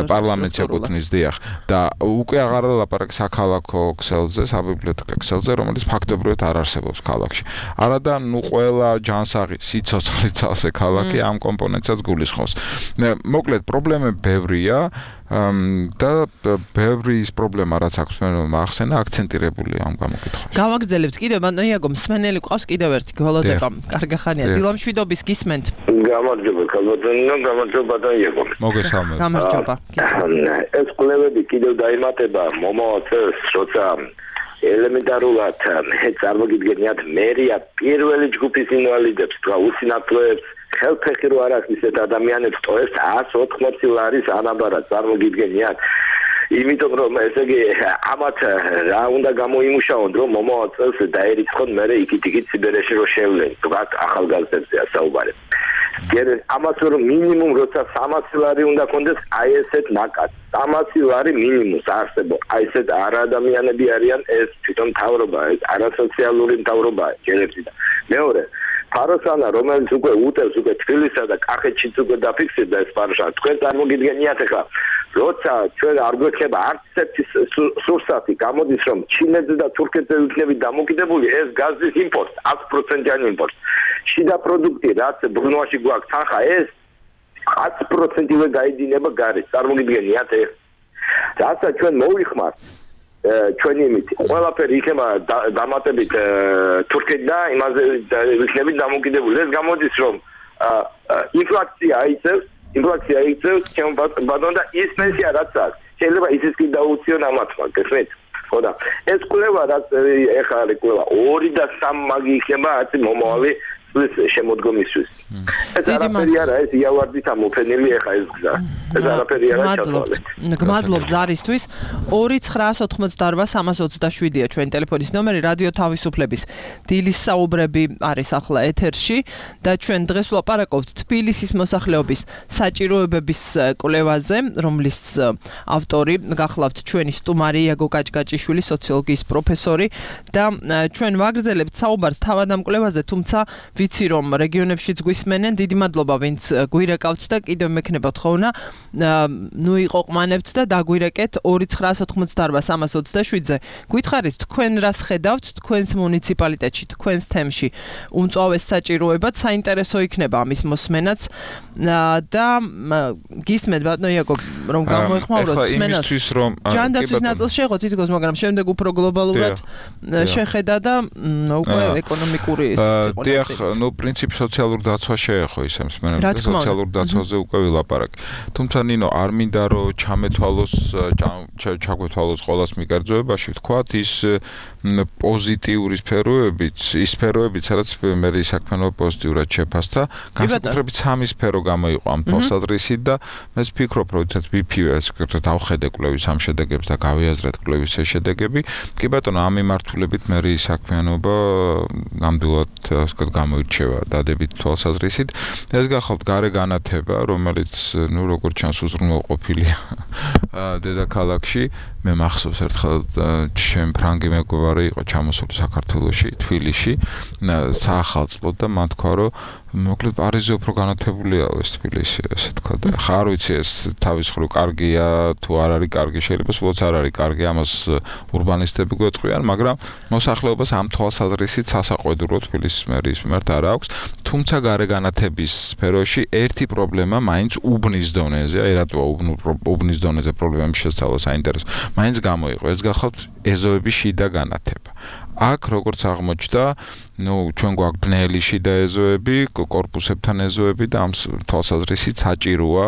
[SPEAKER 3] პარლამენტს ეკუთვნის დიახ და უკვე აღარ ლაპარაკი საქალაქო ქსელზე, საბიბლიოთეკო ქსელზე, რომელიც ფაქტობრივად არ არსებობს ქალაქში. არადა ნუ ყველა ჯანსაღი სიცოცხლე წალსე ქალაქი ამ კომპონენტსაც გულისხმობს. მოკლედ პრობლემები ბევრია და ბევრი ის პრობლემა რაც აქვს მე მახსენა აქცენტირებული ამ გამოკითხვაში.
[SPEAKER 2] გავაგრძელებთ კიდევ ბატონო იაგო მსმენელი ყავს კიდევ ერთი გველოდება. კარგი ხანია. დილამშვიდობის გისმენთ.
[SPEAKER 5] გამარჯობა ქალბატონო, გამარჯობა ბატონო იაგო.
[SPEAKER 3] მოგესალმებით.
[SPEAKER 2] გამარჯობა.
[SPEAKER 5] ეს კვლევები კიდევ დაიმატება მომავალ წელს, როცა ელემენტარულად წარმოგიდგენიათ მერია პირველი ჯგუფის ინვალიდებს და უსინათლოებს ხელფეხი რო არ აქვს ისეთ ადამიანებს ტოებს ას ოთხმოცი ლარის ანაბარად წარმოგიდგენიათ. იმიტომ რომ ესე იგი ამათ რა უნდა გამოიმუშაონ რომ მომავალ წელს დაერიცხონ მე იქით-იქით სიბერეში რო შევლენ. თქვათ ახალგაზრდებზეა საუბარი. გერენ ამას რომ მინიმუმ როცა სამასი ლარი უნდა კონდეს აი ესეთ ნაკად. სამასი ლარი მინიმუმს არსებობს. აი ესეთ არადამიანები არიან ეს თვითონ მთავრობა, ეს არასოციალური მთავრობაა ჯერებში და მეორე ფაროსანა რომელიც უკვე უტევს უკვე თბილისსა და კახეთშიც უკვე დაფიქსირდა ეს ფაროსანა თქვენ წარმოგიდგენიათ ახლა როცა ჩვენ არ გვექნება არც ერთი სურსათი გამოდის რომ ჩინეთზე და თურქეთზე იქნებით დამოკიდებული ეს გაზის იმპორტ ათი პროცენტიანი იმპორტ შიდა პროდუქტი რაც ბრუნვაში გვაქვს თანხა ეს ათი პროცენტივე გაიდინება გარეთ წარმოგიდგენიათ ეს რასაც ჩვენ მოვიხმართ ჩვენი იმით ყველაფერი იქნება დამატებით თურქეთიდან იმაზე იქნებით დამოკიდებული ეს გამოდის რომ ინფლაცია აიწევს ინფლაცია აიწევს ჩემ ბატონო და ის პენსია რაც აქვს შეიძლება ისიც კი დაუციონ ამათმა გესმით ხო და ეს კვლევა რაც ეხლა არის კვლევა ორი და სამი მაგი იქნება ათი მომავალი ეს შემოდგომისთვის. ეს არაფერი არა, ეს იავარდით ამოფენილი ეხა ეს გზა. ეს არაფერი არა ჩათვალე.
[SPEAKER 2] გმადლობთ ზარისთვის. ორი ცხრა ოთხმოცდაორვა სამას ოცდაშვიდია ჩვენი ტელეფონის ნომერი რადიო თავისუფლების დილის საუბრები არის ახლა ეთერში და ჩვენ დღეს ვლაპარაკობთ თბილისის მოსახლეობის საჭიროებების კვლევაზე, რომლის ავტორი გახლავთ ჩვენი სტუმარი იაგო კაჭკაჭიშვილი, სოციოლოგიის პროფესორი და ჩვენ ვაგრძელებთ საუბარს თავად ამ კვლევაზე, თუმცა ვიცი რომ რეგიონებშიც გვისმენენ, დიდი მადლობა ვინც გვირეკავთ და კიდევ მექნებათ ხოვნა. ნუ იყვყმანებთ და დაგვირეკეთ ორი ცხრა ოთხმოცდაორვა სამას ოცდაშვიდზე. გვითხარით თქვენ რას ხედავთ თქვენს მუნიციპალიტეტში, თქვენს თემში. უმწვავეს საჭიროებად საინტერესო იქნება ამის მოსმენაც და გისმენთ ბატონო იაკობ რომ გამოეხმაუროთ მსმენელს. ჯანდაცვის ნაწილს შეეხო თითქოს, მაგრამ შემდეგ უფრო გლობალურად შეხედა და უკვე ეკონომიკური
[SPEAKER 3] სიტუაცია. ნუ პრინციპი სოციალური დაცვა შეეხო ისე მსმენელს სოციალური დაცვაზე უკვე ვილაპარაკ. თუმცა ნინო არ მინდა რომ ჩამეთვალოს ჩაგვეთვალოს ყოველას მიგარძოებაში ვთქვათ ის პოზიტიური სფეროებიც, ის სფეროებიც რაც მე საქმიანობა პოზიტიურად შეფასდა, განსაკუთრებით სამი სფერო გამოიყო ამ თვალსაზრისით და მე ვფიქრობ რომ თაც ვიფივეს დავხედე კვლევის ამ შედეგებს და გავიაზრეთ კვლევის შედეგები. კი ბატონო, ამ მიმართულებით მე საქმიანობა ნამდვილად ასე ვთქვათ გამოირჩევა დადებით თვალსაზრისით. ეს გახლავთ გარე განათება, რომელიც ნუ როგორც ჩანს უზრუნველყოფილია დედაქალაქში. მე მახსოვს ერთხელ ჩემ ფრანგი მეგობარი იყო ჩამოსული საქართველოში, თბილისში, საახალწლოდ და მან თქვა რომ მოკლედ პარიზზე უფრო განათებულია ეს თბილისი, ასე თქვა და ხა არ ვიცი ეს თავის მხრივ კარგია თუ არ არის კარგი, შეიძლება სულაც არ არის კარგი, ამას ურბანისტები გვეტყვიან, მაგრამ მოსახლეობას ამ თვალსაზრისით სასაყვედურო თბილისის მერიის მიმართ არ აქვს. თუმცა გარე განათების სფეროში ერთი პრობლემა მაინც უბნის დონეზე, აი რატოა უბნის დონეზე პრობლემები შესწავლა საინტერესო. მაინც გამოიყო, ეს გახლავთ ეზოების შიდა განათება. აქ როგორც აღმოჩნდა ნუ ჩვენ გვაქვს ბნელი შიდა ეზოები, კორპუსებთან ეზოები და ამ თვალსაზრისით საჭიროა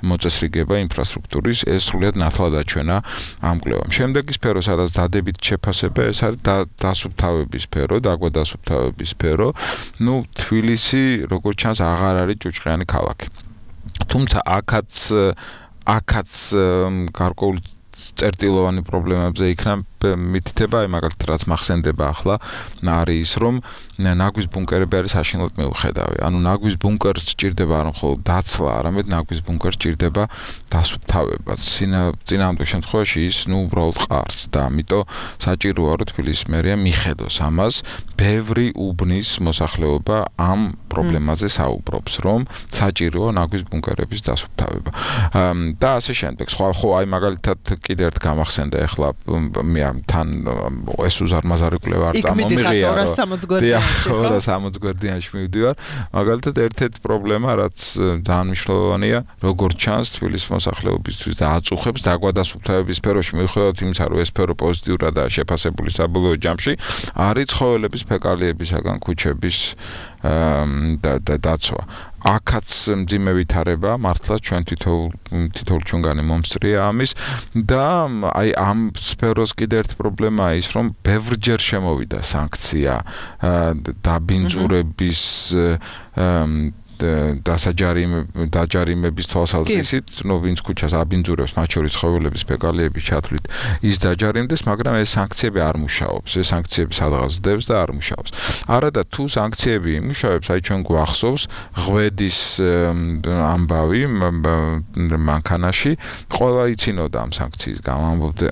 [SPEAKER 3] მოწესრიგება ინფრასტრუქტურის, ეს სრულიად ნათლად აჩვენა ამ კვლევამ. შემდეგი სფერო, სადაც დადებით შეფასება, ეს არის დასუფთავების სფერო, დაგვადასუფთავების სფერო. ნუ თბილისი, როგორც ჩანს, აღარ არის ჭუჭყიანი ქალაქი. თუმცა აქაც აქაც გარკვეული წერტილოვანი პრობლემებზე იქნა მითითება, აი მაგალითად რაც მახსენდება ახლა არის ის, რომ ნაგვის ბუნკერები არის საშინლად მიუხედავი. ანუ ნაგვის ბუნკერს სჭირდება არა მხოლოდ დაცლა, არამედ ნაგვის ბუნკერს სჭირდება დასუფთავება. წინააღმდეგ შემთხვევაში ის ნუ უბრალოდ ყარს და ამიტომ საჭიროა რომ თბილისის მერია მიხედოს ამას. ბევრი უბნის მოსახლეობა ამ პრობლემაზე საუბრობს, რომ საჭიროა ნაგვის ბუნკერების დასუფთავება. და ასე შემდეგ. სხვა ხო აი მაგალითად კიდევ ერთ გამახსენდა ახლა მე თან ეს უზარმაზარი კვლევა არ წამომიღია. ორას სამოცი გვერდიანში მივდივარ. მაგალითად ერთ-ერთი პრობლემა, რაც ძალიან მნიშვნელოვანია, როგორც ჩანს თბილისის მოსახლეობისთვის და აწუხებს დაგვადასუფთავების სფეროში, მიუხედავად იმისა, რომ ეს სფერო პოზიტიურადაა შეფასებული საბოლოო ჯამში, არის ცხოველების ფეკალიებისაგან ქუჩების დაცვა. აქაც მძიმე ვითარება, მართლა ჩვენ თითოეულ თითოეულ ჩვენგანი მომსწრია ამის და აი ამ სფეროს კიდევ ერთი პრობლემაა ის, რომ ბევრჯერ შემოვიდა სანქცია დაბინძურების დაჯარიმების თვალსაზრისით, ნუ ვინც ქუჩას აბინძურებს, მათ შორის ცხოველების ფეკალიების ჩათვლით, ის დაჯარიმდეს, მაგრამ ეს სანქციები არ მუშაობს. ეს სანქციები სადღაც დევს და არ მუშაობს. არადა თუ სანქციები იმუშავებს, აი ჩვენ გვახსოვს ღვედის ამბავი მანქანაში, ყველა იცინოდა ამ სანქციის გამო,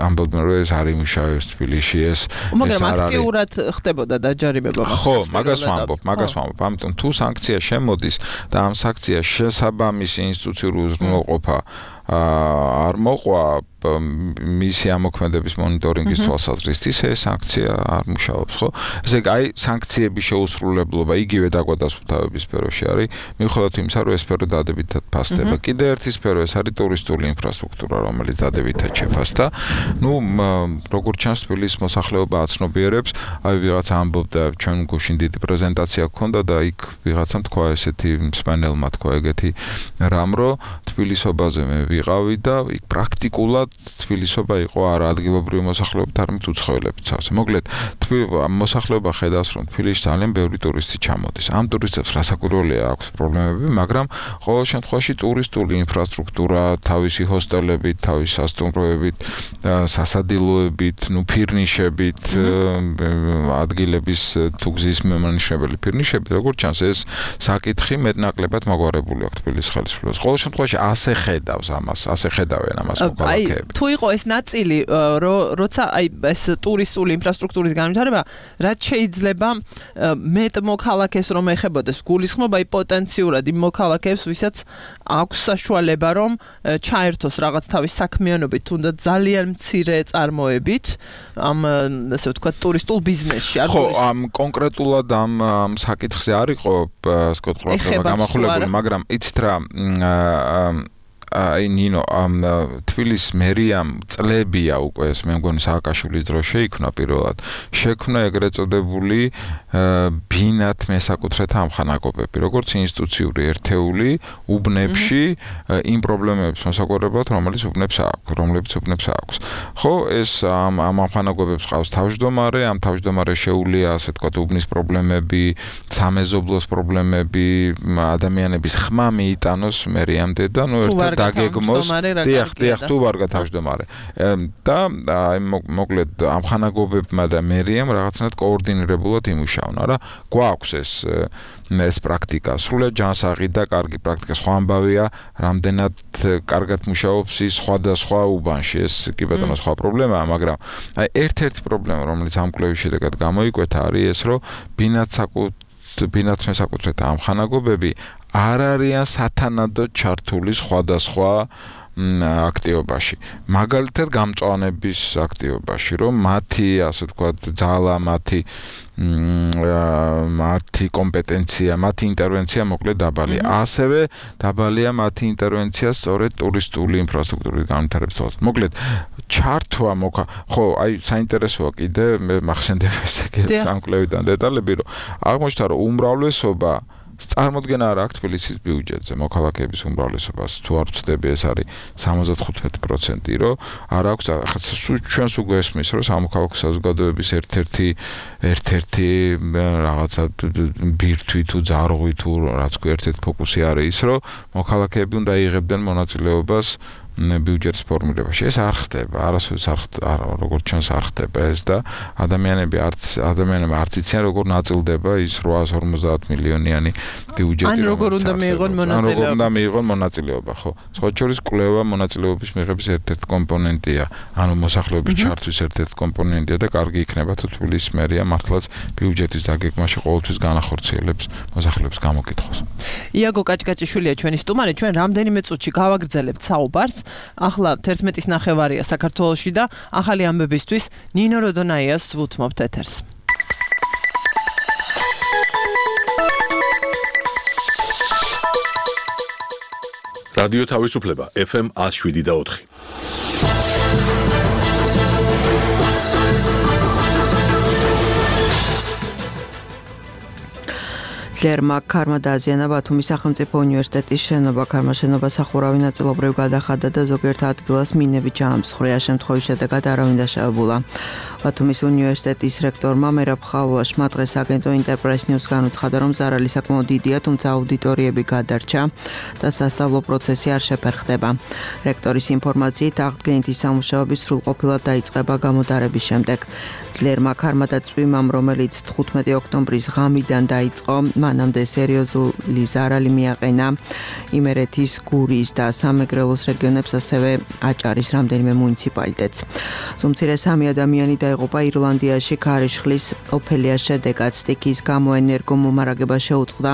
[SPEAKER 3] ამბობდნენ, რომ ეს არ იმუშავებს თბილისში, ეს
[SPEAKER 2] მაგრამ აქტიურად ხდებოდა დაჯარიმება.
[SPEAKER 3] ხო, მაგას ვამბობ, მაგას ვამბობ. ამიტომ თუ სანქცია შემოდის და ამ სანქციას შესაბამისი ინსტიტუციური უზრუნველყოფა არ მოყვა მისი ამოქმედების მონიტორინგის თვალსაზრისით, ეს სანქცია არ მუშაობს, ხო? ესე იგი, აი სანქციების შეუსრულებლობა იგივე დაგვადასუფთავების სფეროში არის, მიუხედავად იმისა, რომ ეს სფერო დადებითად ფასდება. კიდევ ერთი სფერო, ეს არის ტურისტული ინფრასტრუქტურა, რომელიც დადებითად შეფასდა. ნუ როგორც ჩანს, თბილისის მოსახლეობა აცნობიერებს, აი ვიღაცა ამბობდა, ჩვენ გუშინ დიდი პრეზენტაცია გქონდა და იქ ვიღაცამ თქვა ესეთი მსმენელმა თქვა ეგეთი რამ, რომ თბილისობაზე მე ვიყავი და იქ პრაქტიკულად თბილისობა იყო არა ადგილობრივი მოსახლეობით, არამედ უცხოელებით სავსე. მოკლედ, მოსახლეობა ხედავს, რომ თბილისში ძალიან ბევრი ტურისტი ჩამოდის. ამ ტურისტებს რასაკვირველია აქვს პრობლემები, მაგრამ ყოველ შემთხვევაში ტურისტული ინფრასტრუქტურა, თავისი ჰოსტელებით, თავისი სასტუმროებით, სასადილოებით, ნუ ფირნიშებით, ადგილების თუ გზის მიმანიშნებელი ფირნიშებით, როგორც ჩანს, ეს საკითხი მეტნაკლებად მოგვარებული აქვს თბილისის ხელისუფლებას. ყოველ შემთხვევაში ასე ხედავს ამას, ასე ხედავენ ამას მოქალაქეები.
[SPEAKER 2] თუ იყო ეს ნაწილი, როცა აი ეს ტურისტული ინფრასტრუქტურის განვითარება, რაც შეიძლება მეტ მოქალაქეს რომ ეხებოდეს, გულისხმობა აი პოტენციურად იმ მოქალაქეებს, ვისაც აქვს საშუალება რომ ჩაერთოს რაღაც თავის საქმიანობით, თუნდაც ძალიან მცირე წარმოებით ამ ასე ვთქვათ ტურისტულ ბიზნესში.
[SPEAKER 3] ხო, ამ კონკრეტულად ამ ამ საკითხზე არ იყო სკოტ ყურადღება გამახვილებული, მაგრამ იცით რა აი ნინო ამ თბილისის მერიამ წლებია უკვე ეს მე მგონი სააკაშვილის დროს შეიქმნა პირველად შექმნა ეგრეთ წოდებული ბინათ მესაკუთრეთა ამხანაგობები როგორც ინსტიტუციური ერთეული უბნებში იმ პრობლემებს მოსაკვირებლად რომელიც უბნებს აქვს რომლებიც უბნებს აქვს ხო ეს ამ ამ ამხანაგობებს ყავს თავმჯდომარე ამ თავმჯდომარე შეუულია ასე თქვა უბნის პრობლემები სამეზობლოს პრობლემები ადამიანების ხმა მიიტანოს მერიამდე და ნუ ერთად დაგეგმოს დიახ დიახ თუ ვარ გათავმჯდომარე და აი მოკლედ ამხანაგობებმა და მერიამ რაღაცნაირად კოორდინირებულად იმუშავნა რა გვაქვს ეს ეს პრაქტიკა სრულიად ჯანსაღი და კარგი პრაქტიკა სხვა ამბავია რამდენად კარგად მუშაობს ის სხვადასხვა უბანში ეს კი ბატონო სხვა პრობლემაა მაგრამ აი ერთ-ერთი პრობლემა რომელიც ამ კვლევის შედეგად გამოიკვეთა არის ეს რომ ბინათ საკუთ ბინათ მესაკუთრეთა ამხანაგობები არ არიან სათანადოდ ჩართული სხვადასხვა აქტივობაში. მაგალითად გამწვანების აქტივობაში, რომ მათი, ასე ვთქვათ, ძალა, მათი მათი კომპეტენცია, მათი ინტერვენცია მოკლედ დაბალია. ასევე დაბალია მათი ინტერვენცია სწორედ ტურისტული ინფრასტრუქტურის განვითარებას. მოკლედ ჩართვა მოხა, ხო, აი საინტერესოა კიდე მე მახსენდება ესე კიდე სამკვლევიდან დეტალები, რომ აღმოჩნდა რომ უმრავლესობა წარმოდგენა არ აქვს თბილისის ბიუჯეტზე, მოქალაქეების უმრავლესობას თუ არ ვცდები ეს არის სამოცდახუთი პროცენტი, რომ არ აქვს ჩვენს უკვე ესმის, რომ სამოქალაქო საზოგადოების ერთ-ერთი ერთ-ერთი რაღაცა ბირთვი თუ ძარღვი თუ რაც ქვია ერთ-ერთი ფოკუსი არის ის, რომ მოქალაქეები უნდა იღებდნენ მონაწილეობას ბიუჯეტის ფორმირებაში. ეს არ ხდება, არასოდეს არ ხდება, როგორც ჩვენს არ ხდება ეს და ადამიანები არც ადამიანები არც იციან როგორ ნაწილდება ის რვაას ორმოცდაათ მილიონიანი ბიუჯეტი.
[SPEAKER 2] ან როგორ უნდა მიიღონ მონაწილეობა.
[SPEAKER 3] როგორ უნდა მიიღონ მონაწილეობა, ხო. სხვა შორის კვლევა მონაწილეობის მიღების ერთ-ერთი კომპონენტია, ანუ მოსახლეობის ჩართვის ერთ-ერთი კომპონენტია და კარგი იქნება თუ თბილისის მერია მართლაც ბიუჯეტის დაგეგმაში ყოველთვის განახორციელებს მოსახლეობის გამოკითხვას.
[SPEAKER 2] იაგო კაჭკაჭიშვილია ჩვენი სტუმარი, ჩვენ რამდენიმე წუთში გავაგრძელებთ საუბარს. ახლა თერთმეტის ნახევარია საქართველოში და ახალი ამბებისთვის ნინო როდონაიას ვუთმობთ ეთერს.
[SPEAKER 1] რადიო თავისუფლება ეფ ემ one oh seven და four.
[SPEAKER 6] ძლიერმა ქარმა დააზიანა ბათუმის სახელმწიფო უნივერსიტეტის შენობა. ქარმა შენობა სახურავი ნაწილობრივ გადახადა და ზოგიერთ ადგილას მინებით ჩაამსხვრია. შემთხვევის შედეგად არავინ დაშავებულა. ბათუმის უნივერსიტეტის რექტორმა მერაბ ხალვაშმა დღეს აგენტო ინტერპრეს ნიუს განუცხადა, რომ ზარალი საკმაოდ დიდია, თუმცა აუდიტორიები გადარჩა და სასწავლო პროცესი არ შეფერხდება. რექტორის ინფორმაციით აღდგენითი სამუშაოები სრულყოფილად დაიწყება გამოდარების შემდეგ. ძლიერმა ქარმა და წვიმამ, რომელიც თხუთმეტი ოქტომბრის ღამიდან დაიწყო, მანამდე სერიოზული ზარალი მიაყენა იმერეთის, გურის და სამეგრელოს რეგიონებს, ასევე აჭარის რამდენიმე მუნიციპალიტეტს. ზუმცირე სამი ადამიანი დაიღუპა ირლანდიაში ქარიშხლის ოფელიას შედეგად. სტიქის გამო ენერგომომარაგება შეუწყდა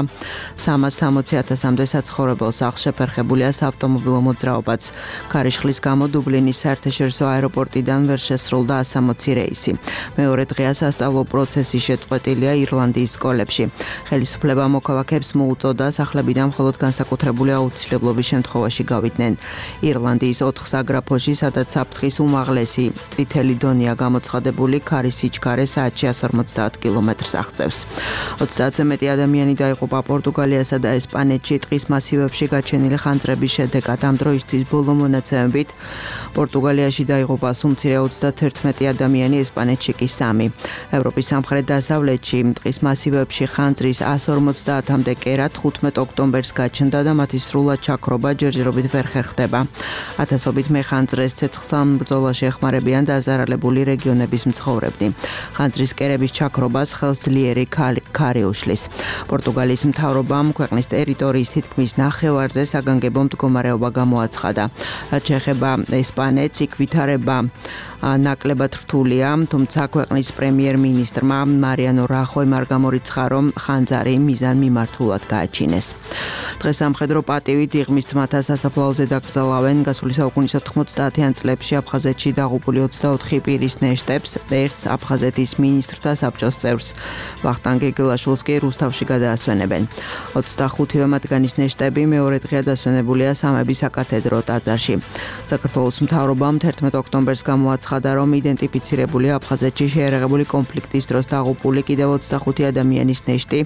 [SPEAKER 6] სამას სამოცი ათასამდე საცხოვრებელ სახლს. შეფერხებულია საავტომობილო მოძრაობაც. ქარიშხლის გამო დუბლინის საერთაშორისო აეროპორტიდან ვერ შესრულდა one hundred sixty რეისი. მეორე დღეა სასწავლო პროცესი შეწყვეტილია ირლანდიის სკოლებში. ხელისუფლება მოქალაქეებს მოუწოდა სახლებიდან მხოლოდ განსაკუთრებული აუცილებლობის შემთხვევაში გავიდნენ. ირლანდიის ოთხ საგრაფოში, სადაც საფრთხის უმაღლესი წითელი დონეა გამოცხადებული, ქარის სიჩქარე საათში one hundred forty კილომეტრს აღწევს. ოცდაათზე მეტი ადამიანი დაიღუპა პორტუგალიასა და ესპანეთში ტყის მასივებში გაჩენილი ხანძრების შედეგად. ამ დროისთვის ბოლო მონაცემებით პორტუგალიაში დაიღუპა სუმცირე ოცდათერთმეტი ადამიანი, ესპანეთში კი სამი. ევროპის სამხრეთ-დასავლეთში ტყის მასივებში ხანძრის one hundred forty-მდე კერა თხუთმეტ ოქტომბერს გაჩნდა და მათი სრულად ჩაქრობა ჯერჯერობით ვერ ხერხდება. ათასობით მეხანძრეს ცეცხლთან ბრძოლაში ეხმარებიან დაზარალებული რეგიონების მცხოვრებნი. ხანძრის კერების ჩაქრობას ხელს ძლიერი ქარი უშლის. პორტუგალიის მთავრობამ ქვეყნის ტერიტორიის თითქმის ნახევარზე საგანგებო მდგომარეობა გამოაცხადა. რაც შეეხება ესპანეთს, იქ ვითარება ნაკლებად რთულია, თუმცა ქვეყნის პრემიერ-მინისტრმა მარიანო რახოიმ არ გამორიცხა, რომ ხანძარი მიზან მიმართულად გააჩინეს. დღეს სამხედრო პატივით იღმის ძმათა სასაფლაოზე დაკრძალავენ გასული საუკუნის ოთხმოცდაათიან წლებში აფხაზეთში დაღუპული ოცდაოთხი პირის ნეშტებს. ერთს აფხაზეთის მინისტრთა საბჭოს წევრს ვახტანგ გეგილაშვილს კი რუსთავში გადაასვენებენ. ოცდახუთივე მათგანის ნეშტები მეორე დღეა დასვენებულია სამების საკათედრო ტაძარში. საქართველოს მთავრობამ თერთმეტ ოქტომბერს გამოაცხადა, რომ იდენტიფიცირებული აფხაზეთში შეერაღებული კონფლიქტის დროს დაღუპული კიდევ ოცდახუთი ადამიანის ნეშტი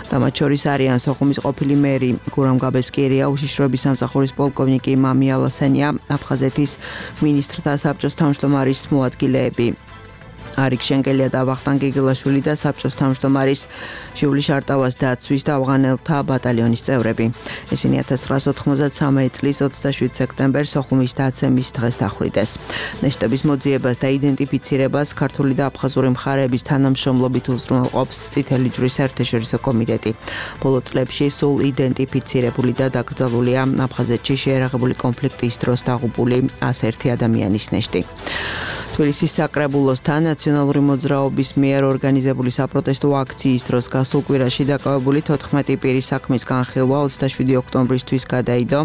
[SPEAKER 6] და მათ შორის არიან სოხუმის ყოფილი მერი გურამ გაბესკირია, უშიშროების სამსახურის პოლკოვნიკი მამი ალასენია, აფხაზეთის მინისტრთა საბჭოს თავმჯდომარის მოადგილეები არიქ შენგელია და ვახტანგ გეგილაშვილი და საბჭოს თავმჯდომარის ჟიული შარტავას დაცვის და ავღანელთა ბატალიონის წევრები. ისინი one thousand nine hundred ninety-three წლის ოცდაშვიდ სექტემბერს სოხუმის დაცემის დღეს დახვრიტეს. ნეშტების მოძიებას და იდენტიფიცირებას ქართული და აფხაზური მხარეების თანამშრომლობით უზრუნველყოფს წითელი ჯვრის საერთაშორისო კომიტეტი. ბოლო წლებში სულ იდენტიფიცირებული და დაკრძალულია აფხაზეთში შეერაღებული კონფლიქტის დროს დაღუპული one hundred one ადამიანის ნეშტი. თბილისის საკრებულოსთან ნაციონალური მოძრაობის მიერ ორგანიზებული საპროტესტო აქციის დროს გასულ კვირაში დაკავებული თოთხმეტი პირის საქმის განხილვა ოცდაშვიდი ოქტომბრისთვის გადაიდო.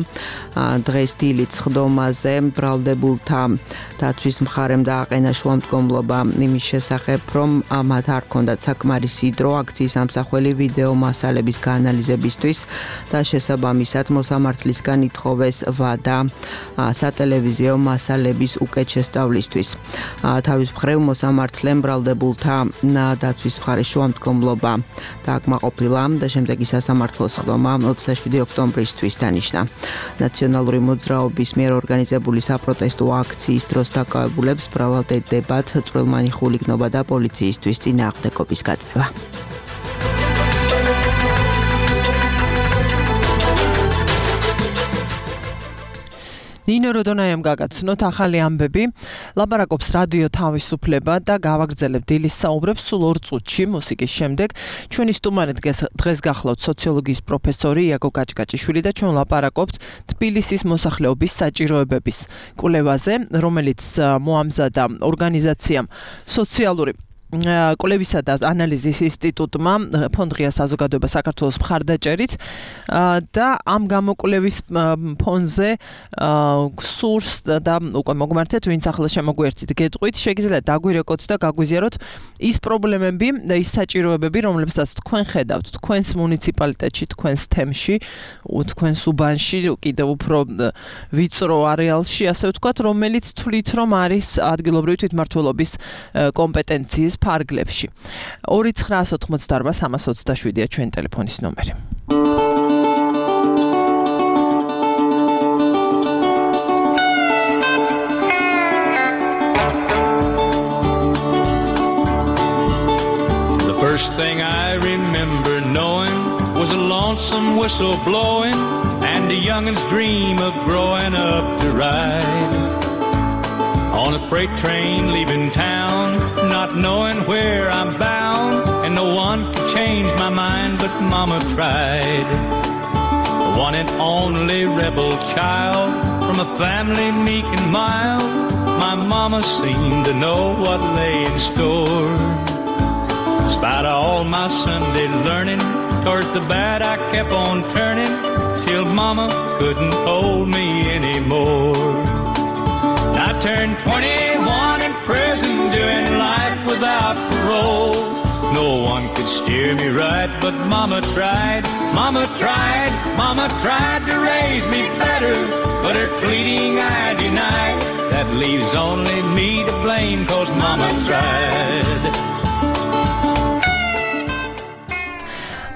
[SPEAKER 6] დღეს დილით სხდომაზე ბრალდებულთა დაცვის მხარემ დააყენა შუამდგომლობა იმის შესახებ, რომ მათ არ ჰქონდათ საკმარისი დრო აქციის ამსახველი ვიდეო მასალების გაანალიზებისთვის და შესაბამისად მოსამართლისგან ითხოვეს ვადა სატელევიზიო მასალების უკეთ შესწავლისთვის. თავის მხრივ მოსამართლემ ბრალდებულთა დაცვის მხარის შუამდგომლობა დააკმაყოფილა და შემდეგი სასამართლოს სხდომა ოცდაშვიდი ოქტომბრისთვის დანიშნა. ნაციონალური მოძრაობის მიერ ორგანიზებული საპროტესტო აქციის დროს დაკავებულებს ბრალდებათ წვრილმანი ხულიგნობა და პოლიციისთვის წინააღმდეგობის გაწევა. ნინო როდონაიამ გაგაცნოთ ახალი ამბები, ლაპარაკობს რადიო თავისუფლება და გავაგრძელებ დილის საუბრებს სულ ორ წუთში მუსიკის შემდეგ. ჩვენი სტუმარი დღეს გახლავთ სოციოლოგიის პროფესორი იაგო კაჭკაჭიშვილი და ჩვენ ლაპარაკობთ თბილისის მოსახლეობის საჭიროებების კვლევაზე, რომელიც მოამზადა ორგანიზაციამ სოციალური კვლევისა და ანალიზის ინსტიტუტმა ფონდ ღია საზოგადოება საქართველოს მხარდაჭერით და ამ გამოკვლევის ფონზე სურს და უკვე მოგმართეთ, ვინც ახლა შემოგვერთით გეტყვით, შეგიძლიათ დაგვირეკოთ და გაგვიზიაროთ ის პრობლემები და ის საჭიროებები, რომლებსაც თქვენ ხედავთ თქვენს მუნიციპალიტეტში, თქვენს თემში, თქვენს უბანში, კიდევ უფრო ვიწრო არეალში, ასე ვთქვათ, რომელიც თვლით, რომ არის ადგილობრივი თვითმმართველობის კომპეტენციის ფარგლებში. ორი ცხრაას ოთხმოცდაარბა სამას ოცდაშვიდია ჩვენი ტელეფონის ნომერი.
[SPEAKER 7] The first thing I remember knowing was a lonesome whistle blowing and a youngin's dream of growing up to ride on a freight train leaving town, not knowing where I'm bound, and no one could change my mind, but Mama tried. The one and only rebel child from a family meek and mild, my Mama seemed to know what lay in store. Despite all my Sunday learning, towards the bad I kept on turning, till Mama couldn't hold me anymore. I turned twenty-one in prison, doing life without parole. No one could steer me right, but Mama tried, Mama tried, Mama tried to raise me better, but her pleading I denied. That leaves only me to blame, 'cause Mama tried.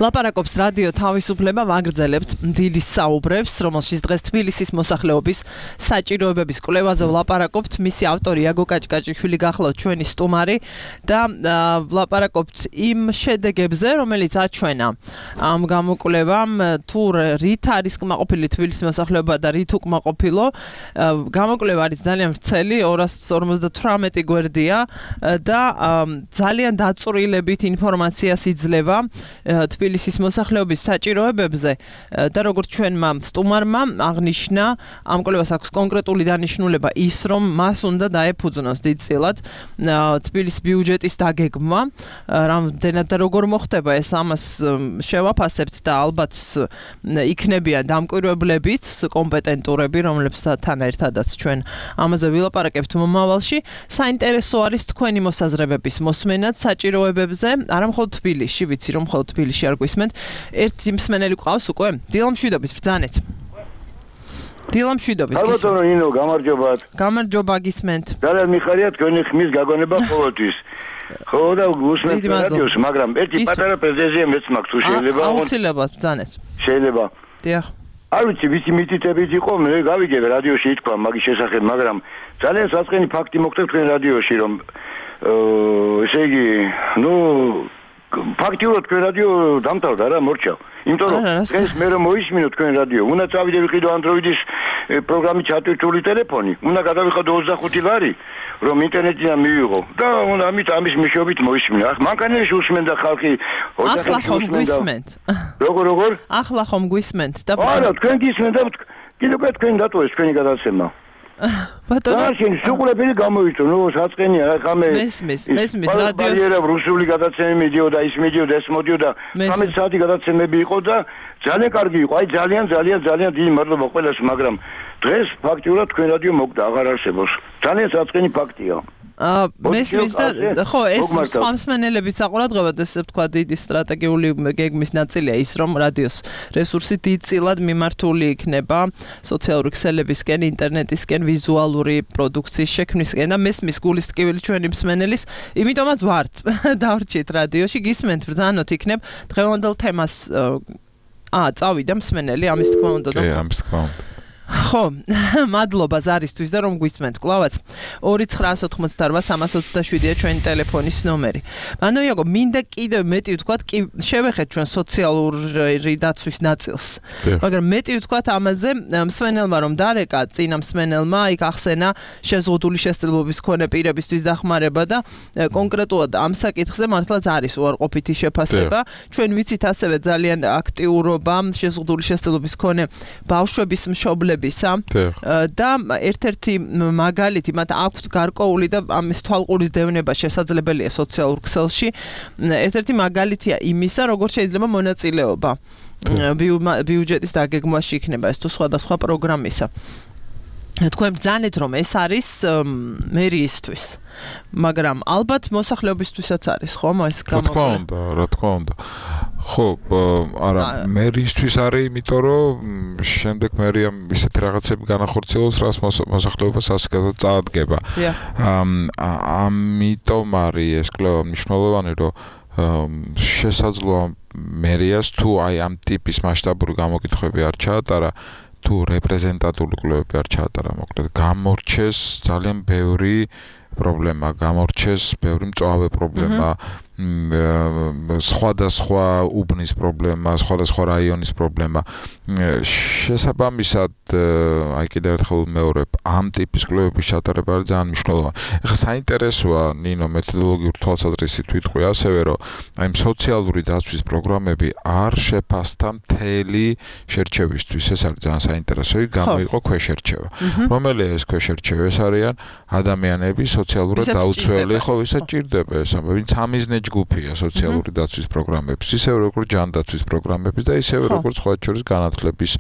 [SPEAKER 2] ლაპარაკობს რადიო თავისუფლება, ვაგრძელებთ დილის საუბრებს, რომელშიც დღეს თბილისის მოსახლეობის საჭიროებების კვლევაზე ვლაპარაკობთ. მისი ავტორი იაგო კაჭკაჭიშვილი გახლავთ ჩვენი სტუმარი და ვლაპარაკობთ იმ შედეგებზე, რომელიც აჩვენა ამ გამოკვლევამ, თუ რით არის კმაყოფილი თბილისის მოსახლეობა და რით უკმაყოფილო. გამოკვლევა არის ძალიან ვრცელი, ორას ორმოცდათვრამეტი გვერდია და ძალიან დაწვრილებით ინფორმაციას იძლევა თბილისის მოსახლეობის საჭიროებებზე და როგორც ჩვენმა სტუმარმა აღნიშნა, ამ კვლევას აქვს კონკრეტული დანიშნულება ის, რომ მას უნდა დაეფუძნოს დიდწილად თბილისის ბიუჯეტის დაგეგმვა, რამდენად და როგორ მოხდება ეს, ამას შევაფასებთ და ალბათ იქნებიან დამკვირვებლებიც კომპეტენტურები, რომლებსთან ერთადაც ჩვენ ამაზე ვილაპარაკებთ მომავალში. საინტერესო არის თქვენი მოსაზრებების მოსმენად საჭიროებებზე, არა მხოლოდ თბილისში, ვიცი რომ მხოლოდ თბილისში არ გვისმენთ. ერთი მსმენელი ყავს უკვე? დილამშვიდობის, ბრძანეთ. დილამშვიდობის.
[SPEAKER 8] ალბათ რომ ინო გამარჯობათ.
[SPEAKER 2] გამარჯობა, გისმენთ.
[SPEAKER 8] ძალიან მიხარია თქვენი ხმის გაგონება ყოველთვის. ხო და გუსმენთ რადიოს, მაგრამ ერთი პატარა პრეზენტაცია მეც მაქვს, თუ შეიძლება.
[SPEAKER 2] აუცილებლად, ბრძანეთ.
[SPEAKER 8] შეიძლება.
[SPEAKER 2] დიახ.
[SPEAKER 8] არ ვიცი, ვიცი მითითებით იყო, მე გავიგე რადიოში ითქვა მაგის შესახებ, მაგრამ ძალიან საწყენი ფაქტი მოხდა თქვენ რადიოში, რომ ესე იგი, ნუ ფაქტიურად თქვენ რადიო დამთავრდა რა, მორჩა. იმიტომ რომ ეს მე რომ მოისმინო თქვენ რადიო, უნდა წავიდე ვიყიდო Android-ის პროგრამით ჩატვირთული ტელეფონი, უნდა გადავიხადო ოცდახუთი ლარი, რომ ინტერნეტიდან მივიღო და უნდა ამით ამის მეშვეობით მოისმინო. ახ მანქანაში უსმენდა ხალხი,
[SPEAKER 2] ახლა ხომ გვისმენთ?
[SPEAKER 8] როგორ როგორ?
[SPEAKER 2] ახლა ხომ გვისმენთ და
[SPEAKER 8] არა, თქვენ გისმენთ და კიდევ თქვენ დატოვეს თქვენი გადაცემა.
[SPEAKER 2] ბატონო
[SPEAKER 8] შენ შუყლებელი გამოიწო ნუ საწყენია რა ხამე
[SPEAKER 2] მესმის მესმის რადიოს
[SPEAKER 8] ბარიერა რუსული გადაცემები მიდიოდა ის მიდიოდა ეს მოდიოდა თხამეტ საათი გადაცემები იყო და ძალიან კარგი იყო აი ძალიან ძალიან ძალიან დიდი მადლობა ყველას მაგრამ დღეს ფაქტიურად თქვენ რადიო მოკდა აღარ არსებობს ძალიან საწყენი ფაქტია
[SPEAKER 2] აა მესმის და ხო ეს სხვა მსმენელების საყურადღებად ესე ვთქვა დიდი სტრატეგიული გეგმის ნაწილია ის რომ რადიოს რესურსი დიდწილად მიმართული იქნება სოციალური ქსელებისკენ ინტერნეტისკენ ვიზუალური პროდუქციის შექმნისკენ და მესმის გულის ტკივილი ჩვენი მსმენელის იმიტომაც ვართ დავრჩით რადიოში გისმენთ ბრძანოთ იქნებ დღევანდელ თემას აა წავიდა მსმენელი ამის თქმა უნდა და
[SPEAKER 3] ამის თქმა უნდა
[SPEAKER 2] ხო, მადლობა ზარისთვის და რომ გვისმენთ კლავაც ორი ცხრაასი ოთხმოცდაოთხ სამას ოცდაშვიდია ჩვენი ტელეფონის ნომერი. მანო იაგო, მინდა კიდევ მეტი ვთქვათ, კი შევეხეთ ჩვენ სოციალური დაცვის ნაწილს. მაგრამ მეტი ვთქვათ ამაზე მსმენელმა რომ დარეკა, წინა მსმენელმა იქ ახსენა შეზღუდული შესაძლებლობის მქონე პირებისთვის დახმარება და კონკრეტულად ამ საკითხზე მართლაც არის უარყოფითი შეფასება. ჩვენ ვიცით ასევე ძალიან აქტიურობა შეზღუდული შესაძლებლობის მქონე ბავშვების მშობლების და ერთ-ერთი მაგალითი მათ აქვთ გარკვეული და ამის თვალყურის დევნება შესაძლებელია სოციალურ ქსელში ერთ-ერთი მაგალითია იმისა როგორ შეიძლება მონაწილეობა ბიუჯეტის დაგეგმვაში იქნება ეს თუ სხვადასხვა პროგრამისა თქვენ ბრძანეთ რომ ეს არის მერიისთვის მაგრამ ალბათ მოსახლეობისთვისაც არის ხომ ეს
[SPEAKER 3] გამოყენება რა თქმა უნდა ხო არა მერისთვის არის იმიტომ რომ შემდეგ მერიამ ისეთი რაღაცები განახორციელოს რაც მოსახლეობას ასკეთად წაადგება ამიტომ არის ეს კვლევა მნიშვნელოვანი რომ შესაძლოა მერიას თუ აი ამ ტიპის მასშტაბური გამოკითხვები არ ჩაატარა თუ რეპრეზენტატული კვლევები არ ჩაატარა მოკლედ გამორჩეს ძალიან ბევრი პრობლემა გამორჩეს ბევრი მწვავე პრობლემა სხვადასხვა უბნის პრობლემა სხვადასხვა რაიონის პრობლემა შესაბამისად აი კიდევ ერთხელ მეორე ამ ტიპის კვლევების ჩატარება არის ძალიან მნიშვნელოვანი ეხლა საინტერესოა ნინო მეთოდოლოგიური თვალსაზრისით ვიტყვი ასევე რომ აი სოციალური დაცვის პროგრამები არ შეფასდა მთელი შერჩევისთვის ეს არის ძალიან საინტერესო იქ გამოიყო ქვეშერჩევა რომელია ეს ქვეშერჩევა ეს არიან ადამიანები სოციალურად დაუცველი ხო ვისაც ჭირდება ეს ვინც ამიზნე ჯგუფია სოციალური დაცვის პროგრამების, ისევე როგორც ჯანდაცვის პროგრამების და ისევე როგორც სხვა შორის განათლების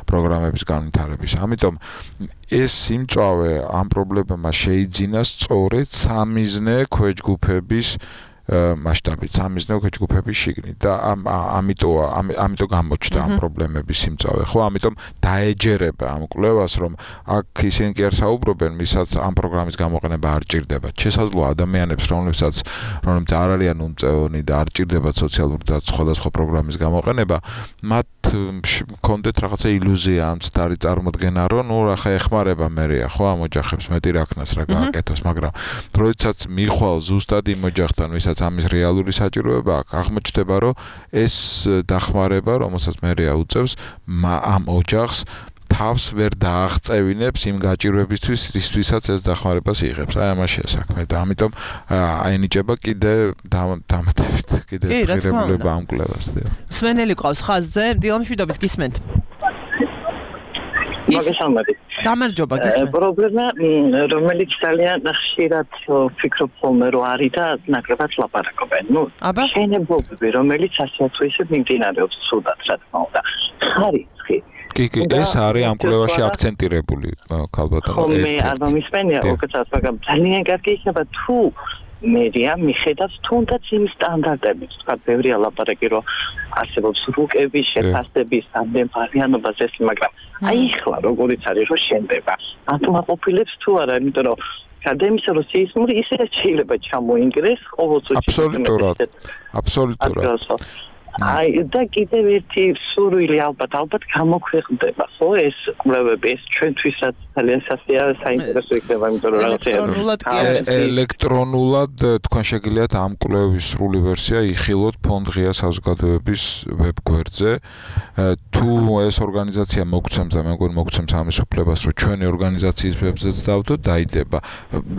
[SPEAKER 3] პროგრამების განვითარების. ამიტომ ეს სიმწვავე ამ პრობლემებმა შეიძინა სწორედ სამიზნე ქვეჯგუფების მასშტაბით, სამიზნე ქვეჯგუფების შიგნით და ამიტომ ამიტომ გამოჩნდა ამ პრობლემების სიმწავე, ხო? ამიტომ დაეჯერება ამ კვლევას, რომ აქ ისინი კი არ საუბრობენ, ვისაც ამ პროგრამის გამოყენება არ ჭირდება. შესაძლოა ადამიანებს, რომლებსაც რომლებიც არ არიან უმწევნი და არ ჭირდებათ სოციალური და სხვადასხვა პროგრამის გამოყენება, მათ მქონდეთ რაღაცა ილუზია ამ ცდარი წარმოდგენა, რომ ნუ ახლა ეხმარება მერია, ხო, ამ ოჯახებს მეტი რაქნას რა გააკეთოს, მაგრამ როდესაც მიხვალ ზუსტად იმ ოჯახთან, ვისაც ამის რეალური საჭიროება აქვს, აღმოჩნდება, რომ ეს დახმარება, რომელსაც მერია უწევს, ამ ოჯახს თავს ვერ დააღწევინებს იმ გაჭირვებისთვის, რისთვისაც ეს დახმარებას იღებს. აი ამაშია საქმე და ამიტომ აენიჭება კიდე დამატებით კიდე ღირებულება ამ კვლევას.
[SPEAKER 2] მსმენელი ყავს ხაზზე, დილამშვიდობის გისმენთ.
[SPEAKER 9] მოგესალმებით.
[SPEAKER 2] გამარჯობა, გისმენთ.
[SPEAKER 9] პრობლემა, რომელიც ძალიან ხშირად ვფიქრობ ხოლმე, რომ არის და ნაკლებად ლაპარაკობენ. ნუ შენებობები, რომელიც ასე თუ ისე მიმდინარეობს ცუდად, რა თქმა უნდა. ხარისხი
[SPEAKER 3] კი, კი, ეს არის ამ კვლევაში აქცენტირებული, ქალბატონო.
[SPEAKER 9] ხო, მე არ მომისმენია, უკეთესად, მაგრამ ძალიან კარგი იქნება თუ მერია მიხედავს თუნდაც იმ სტანდარტებით, თქვა ბევრია ლაპარაკი, რომ არსებობს რუკების შეფასების სამდემფარიანობას ეს, მაგრამ აი ხლა როგორიც არის, რომ შენდება. აკმაყოფილებს თუ არა, იმიტომ რომ გადაიმისა, რომ სეისმური ისე შეიძლება ჩამოინგრეს ყოველწუთი.
[SPEAKER 3] აბსოლუტურად. აბსოლუტურად.
[SPEAKER 9] აი და კიდევ ერთი სურვილი ალბათ ალბათ გამოქვეყნდება ხო ეს კვლევები ეს ჩვენთვისაც ძალიან საინტერესო იქნება იმიტომ რომ რაღაცა
[SPEAKER 3] ელექტრონულად თქვენ შეგიძლიათ ამ კვლევის სრული ვერსია იხილოთ ფონდ ღია საზოგადოების ვებგვერდზე თუ ეს ორგანიზაცია მოგცემს და მე მგონი მოგცემს ამის უფლებას რომ ჩვენი ორგანიზაციის ვებზეც დავდოთ დაიდება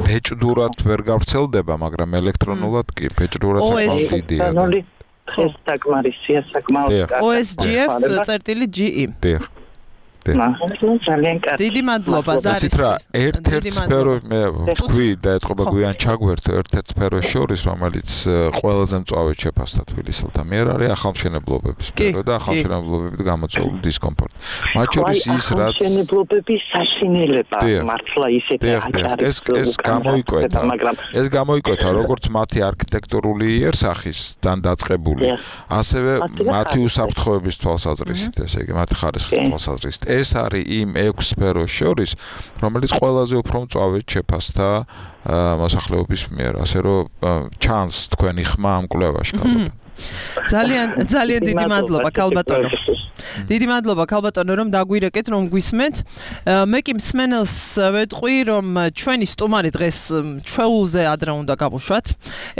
[SPEAKER 3] ბეჭდურად ვერ გავრცელდება მაგრამ ელექტრონულად კი ბეჭდურად საკმაოდ დიდია
[SPEAKER 9] ეს საკმარისია საკმაოდ
[SPEAKER 2] O S G F წერტილი G E.
[SPEAKER 3] დიახ.
[SPEAKER 9] ძალიან კარგი.
[SPEAKER 2] დიდი მადლობა ზარი.
[SPEAKER 3] იცით რა, ერთ-ერთ სფერო მე ვთქვი და ეთყობა გვიან ჩაგვერთო ერთ-ერთ სფეროს შორის, რომელიც ყველაზე მწვავედ შეფასდა თბილისელთა მიერ არის ახალმშენებლობების სფერო და ახალმშენებლობებით გამოწვეული დისკომფორტი. მათ შორის ის რაც
[SPEAKER 9] ახალმშენებლობების საშინელება მართლა ისეთი აჭარი
[SPEAKER 3] ეს ეს გამოიკვეთა, ეს გამოიკვეთა როგორც მათი არქიტექტურული იერსახისთან დაწყებული, ასევე მათი უსაფრთხოების თვალსაზრისით, ესე იგი მათი ხარისხის თვალსაზრისით. ეს არის იმ ექვს სფეროს შორის, რომელიც ყველაზე უფრო მწვავედ შეფასდა მოსახლეობის მიერ, ასე რომ ჩანს თქვენი ხმა ამ კვლევაში ქალბატონო.
[SPEAKER 2] ძალიან ძალიან დიდი მადლობა ქალბატონო. დიდი მადლობა ქალბატონო რომ დაგვირეკეთ რომ გვისმენთ. მე კი მსმენელს ვეთყვი რომ ჩვენი სტუმარი დღეს ჩვეულზე ადრე უნდა გავუშვათ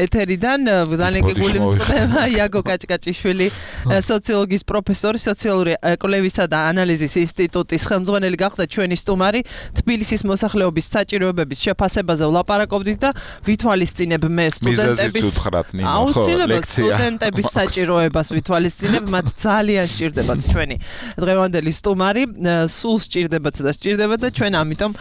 [SPEAKER 2] ეთერიდან. ძალიან გიგული მწყდება იაგო კაჭკაჭიშვილი, სოციოლოგიის პროფესორი, სოციალური კვლევისა და ანალიზის ინსტიტუტის ხელმძღვანელი გახდა ჩვენი სტუმარი. თბილისის მოსახლეობის საჭიროებების შეფასებაზე ვლაპარაკობდით და ვითვალისწინებ მე სტუდენტების სტუდენტების საჭიროებას ვითვალისწინებ, მათ ძალიან სჭირდებათ ჩვენი დღევანდელი სტუმარი, სულ სჭირდებათ და სჭირდებათ და ჩვენ ამიტომ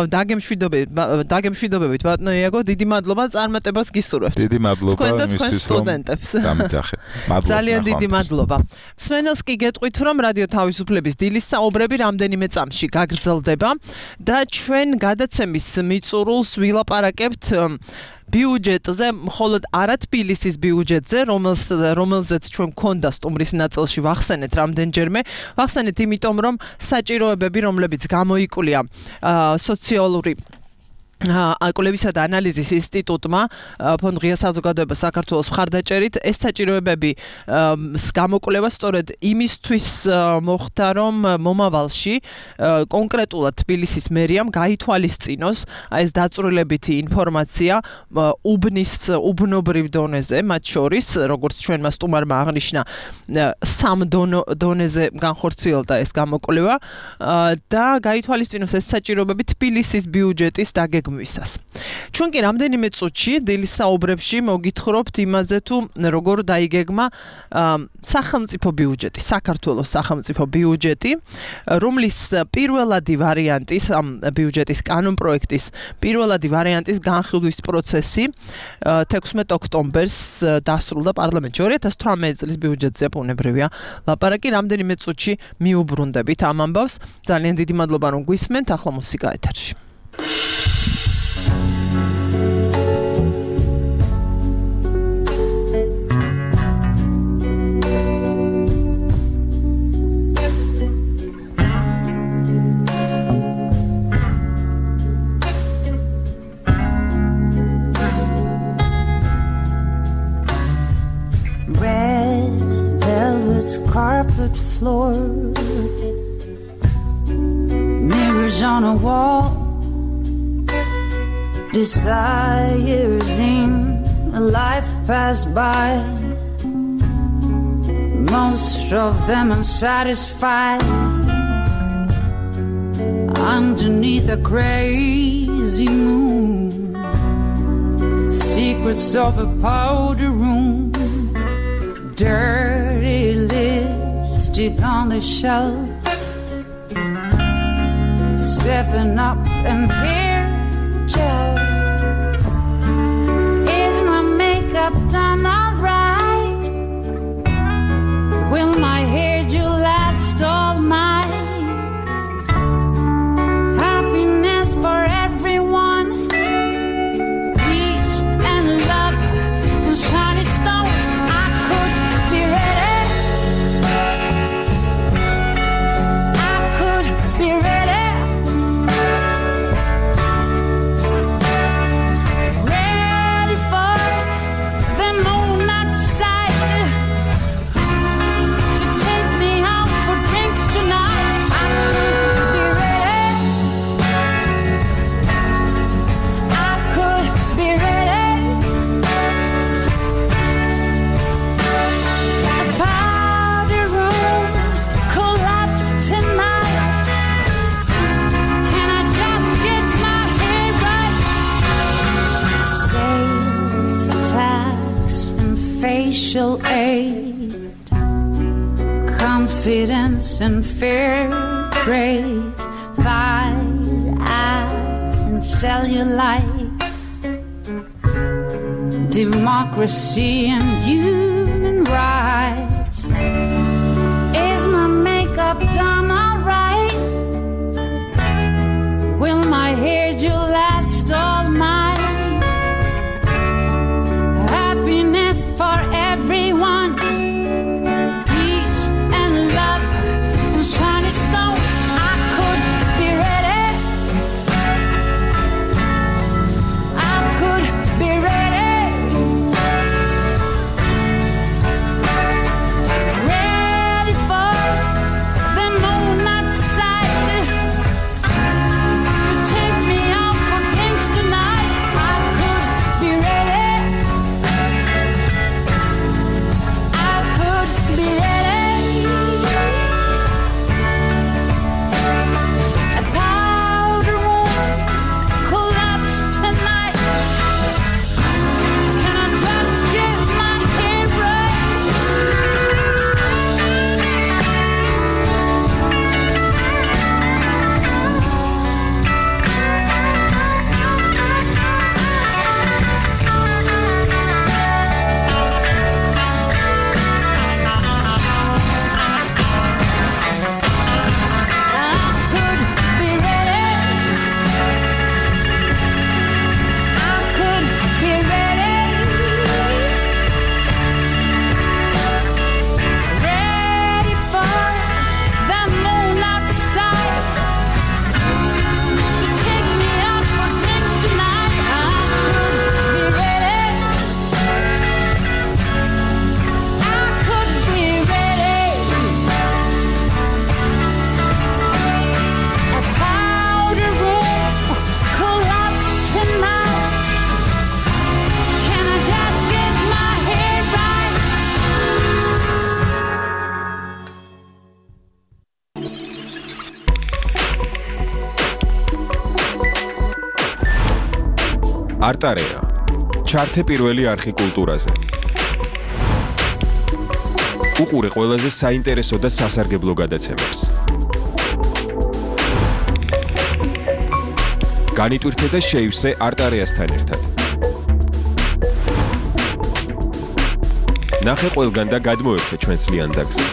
[SPEAKER 2] დაგემშვიდობებით დაგემშვიდობებით ბატონო იაგო, დიდი მადლობა წარმატებას გისურვებთ.
[SPEAKER 3] დიდი მადლობა იმისთვის რომ დამიძახეთ. მადლობა.
[SPEAKER 2] ძალიან დიდი მადლობა. მსმენელს კი გეტყვით რომ რადიო თავისუფლების დილის საუბრები რამდენიმე წამში გაგრძელდება და ჩვენ გადაცემის მიწურულს ვილაპარაკებთ ბიუჯეტზე, მხოლოდ არა თბილისის ბიუჯეტზე, რომელზეც ჩვენ გქონდა სტუმრის ნაწილში ვახსენეთ რამდენჯერმე. ვახსენეთ იმიტომ, რომ საჭიროებები, რომლებიც გამოიკვლია სოციალური კვლევისა და ანალიზის ინსტიტუტმა ფონდ ღია საზოგადოება საქართველოს მხარდაჭერით ეს საჭიროებები გამოკვლევა სწორედ იმისთვის მოხდა, რომ მომავალში კონკრეტულად თბილისის მერიამ გაითვალისწინოს ეს დაწვრილებითი ინფორმაცია უბნის უბნობრივ დონეზე, მათ შორის, როგორც ჩვენმა სტუმარმა აღნიშნა, სამ დონეზე განხორციელდა ეს გამოკვლევა და გაითვალისწინოს ეს საჭიროებები თბილისის ბიუჯეტის დაგეგმვისას. ჩვენ კი რამდენიმე წუთში დილის საუბრებში მოგითხრობთ იმაზე თუ როგორ დაიგეგმა სახელმწიფო ბიუჯეტი, საქართველოს სახელმწიფო ბიუჯეტი, რომლის პირველადი ვარიანტის, ამ ბიუჯეტის კანონპროექტის პირველადი ვარიანტის განხილვის პროცესი თექვსმეტ ოქტომბერს დასრულდა პარლამენტში. ორი ათას თვრამეტი წლის ბიუჯეტზე ბუნებრივია ლაპარაკი, რამდენიმე წუთში მიუბრუნდებით ამ ამბავს. ძალიან დიდი მადლობა რომ გვისმენთ, ახლა მუსიკა ეთერში.
[SPEAKER 10] Carpet floor, mirrors on a wall, desires in a life pass by, most of them unsatisfied, underneath a crazy moon, secrets of a powder room, dirty lipstick on the shelf, seven up and hair gel. Is my makeup done alright? Will my hair do last all night? Happiness for everyone, peace and love and shiny stones. I could be ready. I could be ready. Ready for the moon outside to take me out for drinks tonight. I could be ready. I could be ready. The powder room collapsed tonight. Can I just get my head right? Sales tax and facial aid, confidence and fair great thighs, ass, and cellulite. Democracy and human rights. Is my makeup done alright? Will my hairdo last all night? Happiness for everyone, peace and love and shiny stones. I could be ready. I could be ready. Ready for the moon outside to take me out for drinks tonight. I could be ready. I could be ready. A powder room collapse tonight. Can I just get my hair right? I could be ready. I could be ready. Ready for the moon outside to take me out for drinks tonight. I could be ready. I could be ready. A powder room collapse tonight. Can I just get my hair right?
[SPEAKER 11] არტარეა. ჩართე პირველი არხი კულტურაზე. უყურე ყველაზე საინტერესო და სასარგებლო გადაცემებს. განიტვირთე და შეივსე არტარეასთან ერთად. ნახე ყველგან და გადმოერთე ჩვენს ლიანდაგზე.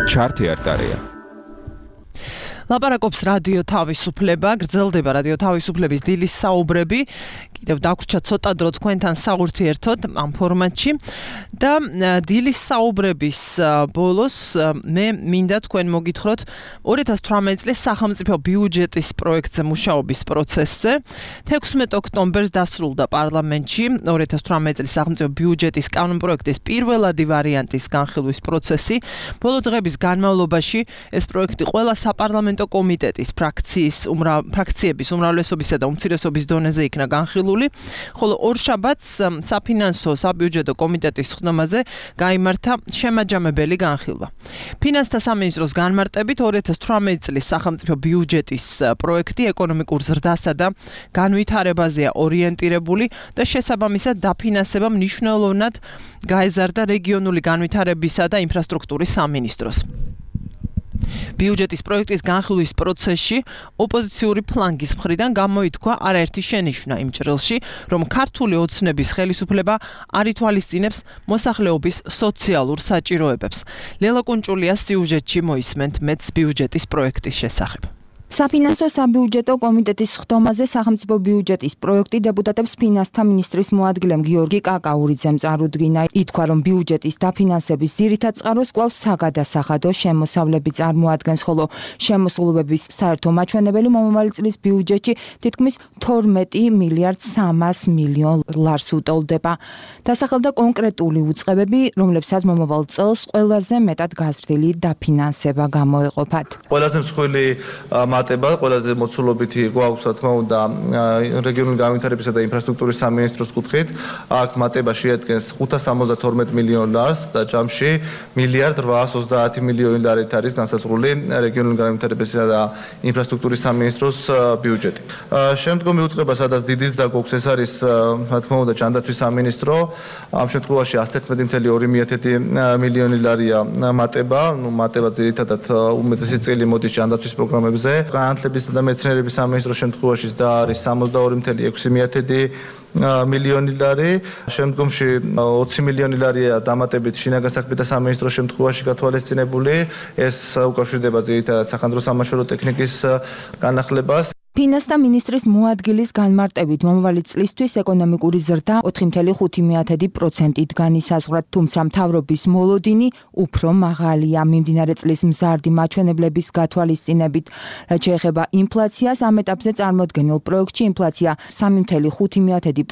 [SPEAKER 11] ჩართე არტარეა.
[SPEAKER 2] ლაპარაკობს რადიო თავისუფლება, გრძელდება რადიო თავისუფლების დილის საუბრები. კიდევ დაგვრჩა ცოტა დრო თქვენთან საურთიერთოდ ამ ფორმატში და დილის საუბრების ბოლოს მე მინდა თქვენ მოგითხროთ ორი ათას თვრამეტი წლის სახელმწიფო ბიუჯეტის პროექტზე მუშაობის პროცესზე. თექვსმეტი ოქტომბერს დასრულდა პარლამენტში ორი ათას თვრამეტი წლის სახელმწიფო ბიუჯეტის კანონპროექტის პირველადი ვარიანტის განხილვის პროცესი. ბოლო დღების განმავლობაში ეს პროექტი ყველა საპარლამენტო კომიტეტის ფრაქციის უმრავლ ფრაქციების უმრავლესობისა და უმცირესობის დონეზე იქნა განხილული, ხოლო ორშაბათს საფინანსო საბიუჯეტო კომიტეტის ხდომაზე გაიმართა შემაჯამებელი განხილვა. ფინანსთა სამინისტროს განმარტებით ორი ათას თვრამეტი წლის სახელმწიფო ბიუჯეტის პროექტი ეკონომიკურ ზრდასა და განვითარებაზეა ორიენტირებული და შესაბამისად დაფინანსება მნიშვნელოვნად გაეზარდა რეგიონული განვითარებისა და ინფრასტრუქტურის სამინისტროს. ბიუჯეტის პროექტის განხილვის პროცესში ოპოზიციური ფლანგის მხრიდან გამოითქვა არაერთი შენიშვნა იმ ჭრილში, რომ ქართული ოცნების ხელისუფლება არ ითვალისწინებს მოსახლეობის სოციალურ საჭიროებებს. ლელა კუნჭულიას სიუჟეტში მოისმენთ მეც ბიუჯეტის პროექტის შესახებ.
[SPEAKER 12] საფინანსო საბიუჯეტო კომიტეტის ხდომაზე სახელმწიფო ბიუჯეტის პროექტი დეპუტატებს ფინანსთა მინისტრის მოადგილემ გიორგი კაკაურიძემ წარუდგინა. ითქვა, რომ ბიუჯეტის დაფინანსების ძირითად წყაროს კვლავ საგადასახადო შემოსავლები წარმოადგენს, ხოლო შემოსულობების საერთო მაჩვენებელი მომავალი წლის ბიუჯეტში თითქმის თორმეტი მილიარდ სამას მილიონ ლარს უტოლდება. დასახელდა კონკრეტული უწყებები, რომლებსაც მომავალ წელს ყველაზე მეტად გაზრდილი დაფინანსება გამოეყოფათ.
[SPEAKER 13] ყველაზე მსხვილი მატება ყველაზე მოცულობითი გვაქვს რა თქმა უნდა რეგიონული განვითარებისა და ინფრასტრუქტურის სამინისტროს კუთხით. აქ მატება შეადგენს ხუთას სამოცდათორმეტ მილიონ ლარს და ჯამში მილიარდ რვაას ოცდაათი მილიონი ლარით არის განსაზღვრული რეგიონული განვითარებისა და ინფრასტრუქტურის სამინისტროს ბიუჯეტი. შემდგომი უწყება, სადაც დიდიც და გვაქვს, ეს არის რა თქმა უნდა ჯანდაცვის სამინისტრო. ამ შემთხვევაში ას თერთმეტი მილიონი ორი მილიონი ლარია მატება, ну მატება ძირითადად უმეტესი წილი მოდის ჯანდაცვის პროგრამებზე. განათლებისა და მეცნიერების სამინისტროს შემთხვევაში და არის სამოცდაორი მილიონი ექვსი მილიონი ლარი. შემდგომში ოცი მილიონი ლარია დამატებით შინაგან საქმეთა სამინისტროს შემთხვევაში გათვალისწინებული. ეს უკავშირდება ძირითადად სახანძრო სამაშველო ტექნიკის განახლებას.
[SPEAKER 12] ფინანსთა მინისტრის მოადგილის განმარტებით მომავალი წლისთვის ეკონომიკური ზრდა ოთხი კoma ხუთი პროცენტით განისაზღვრა, თუმცა მთავრობის მოლოდინი უფრო მაღალია. მიმდინარე წლის მზარდი მაჩვენებლების გათვალისწინებით, რაც შეეხება ინფლაციას, ამ ეტაპზე წარმოდგენილ პროექტში ინფლაცია სამი კoma ხუთი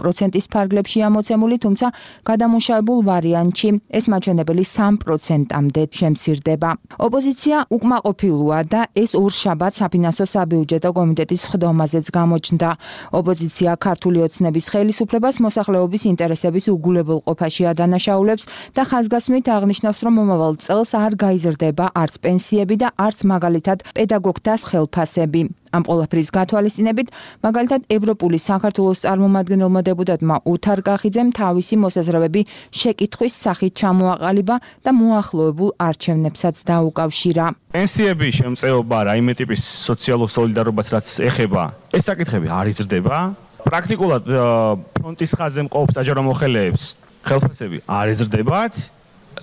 [SPEAKER 12] პროცენტის ფარგლებშია მოცემული, თუმცა გადამუშავებულ ვარიანტში ეს მაჩვენებელი სამ პროცენტამდე შემცირდება. ოპოზიცია უკმაყოფილოა და ეს ორშაბათს საფინანსო საბიუჯეტო კომიტეტის ხდომაზეც გამოჩნდა. ოპოზიცია ქართული ოცნების ხელისუფლებას მოსახლეობის ინტერესების უგულებელყოფაში ადანაშაულებს და ხაზგასმით აღნიშნავს, რომ მომავალ წელს არ გაიზრდება არც პენსიები და არც მაგალითად პედაგოგთა ხელფასები. ამ ყველაფრის გათვალისწინებით, მაგალითად ევროპული საქართველოს წარმომადგენელმა დეპუტატმა უთარ კახიძემ თავისი მოსაზრებები შეკითხვის სახით ჩამოაყალიბა და მოახლოებულ არჩევნებსაც დაუკავშირა.
[SPEAKER 14] პენსიების შემწეობა, რაიმე ტიპის სოციალურ სოლიდარობას რაც ეხება, ეს საკითხები არ იზრდება. პრაქტიკულად ფრონტის ხაზზე მყოფ საჯარო მოხელეებს ხელფასები არ იზრდებათ.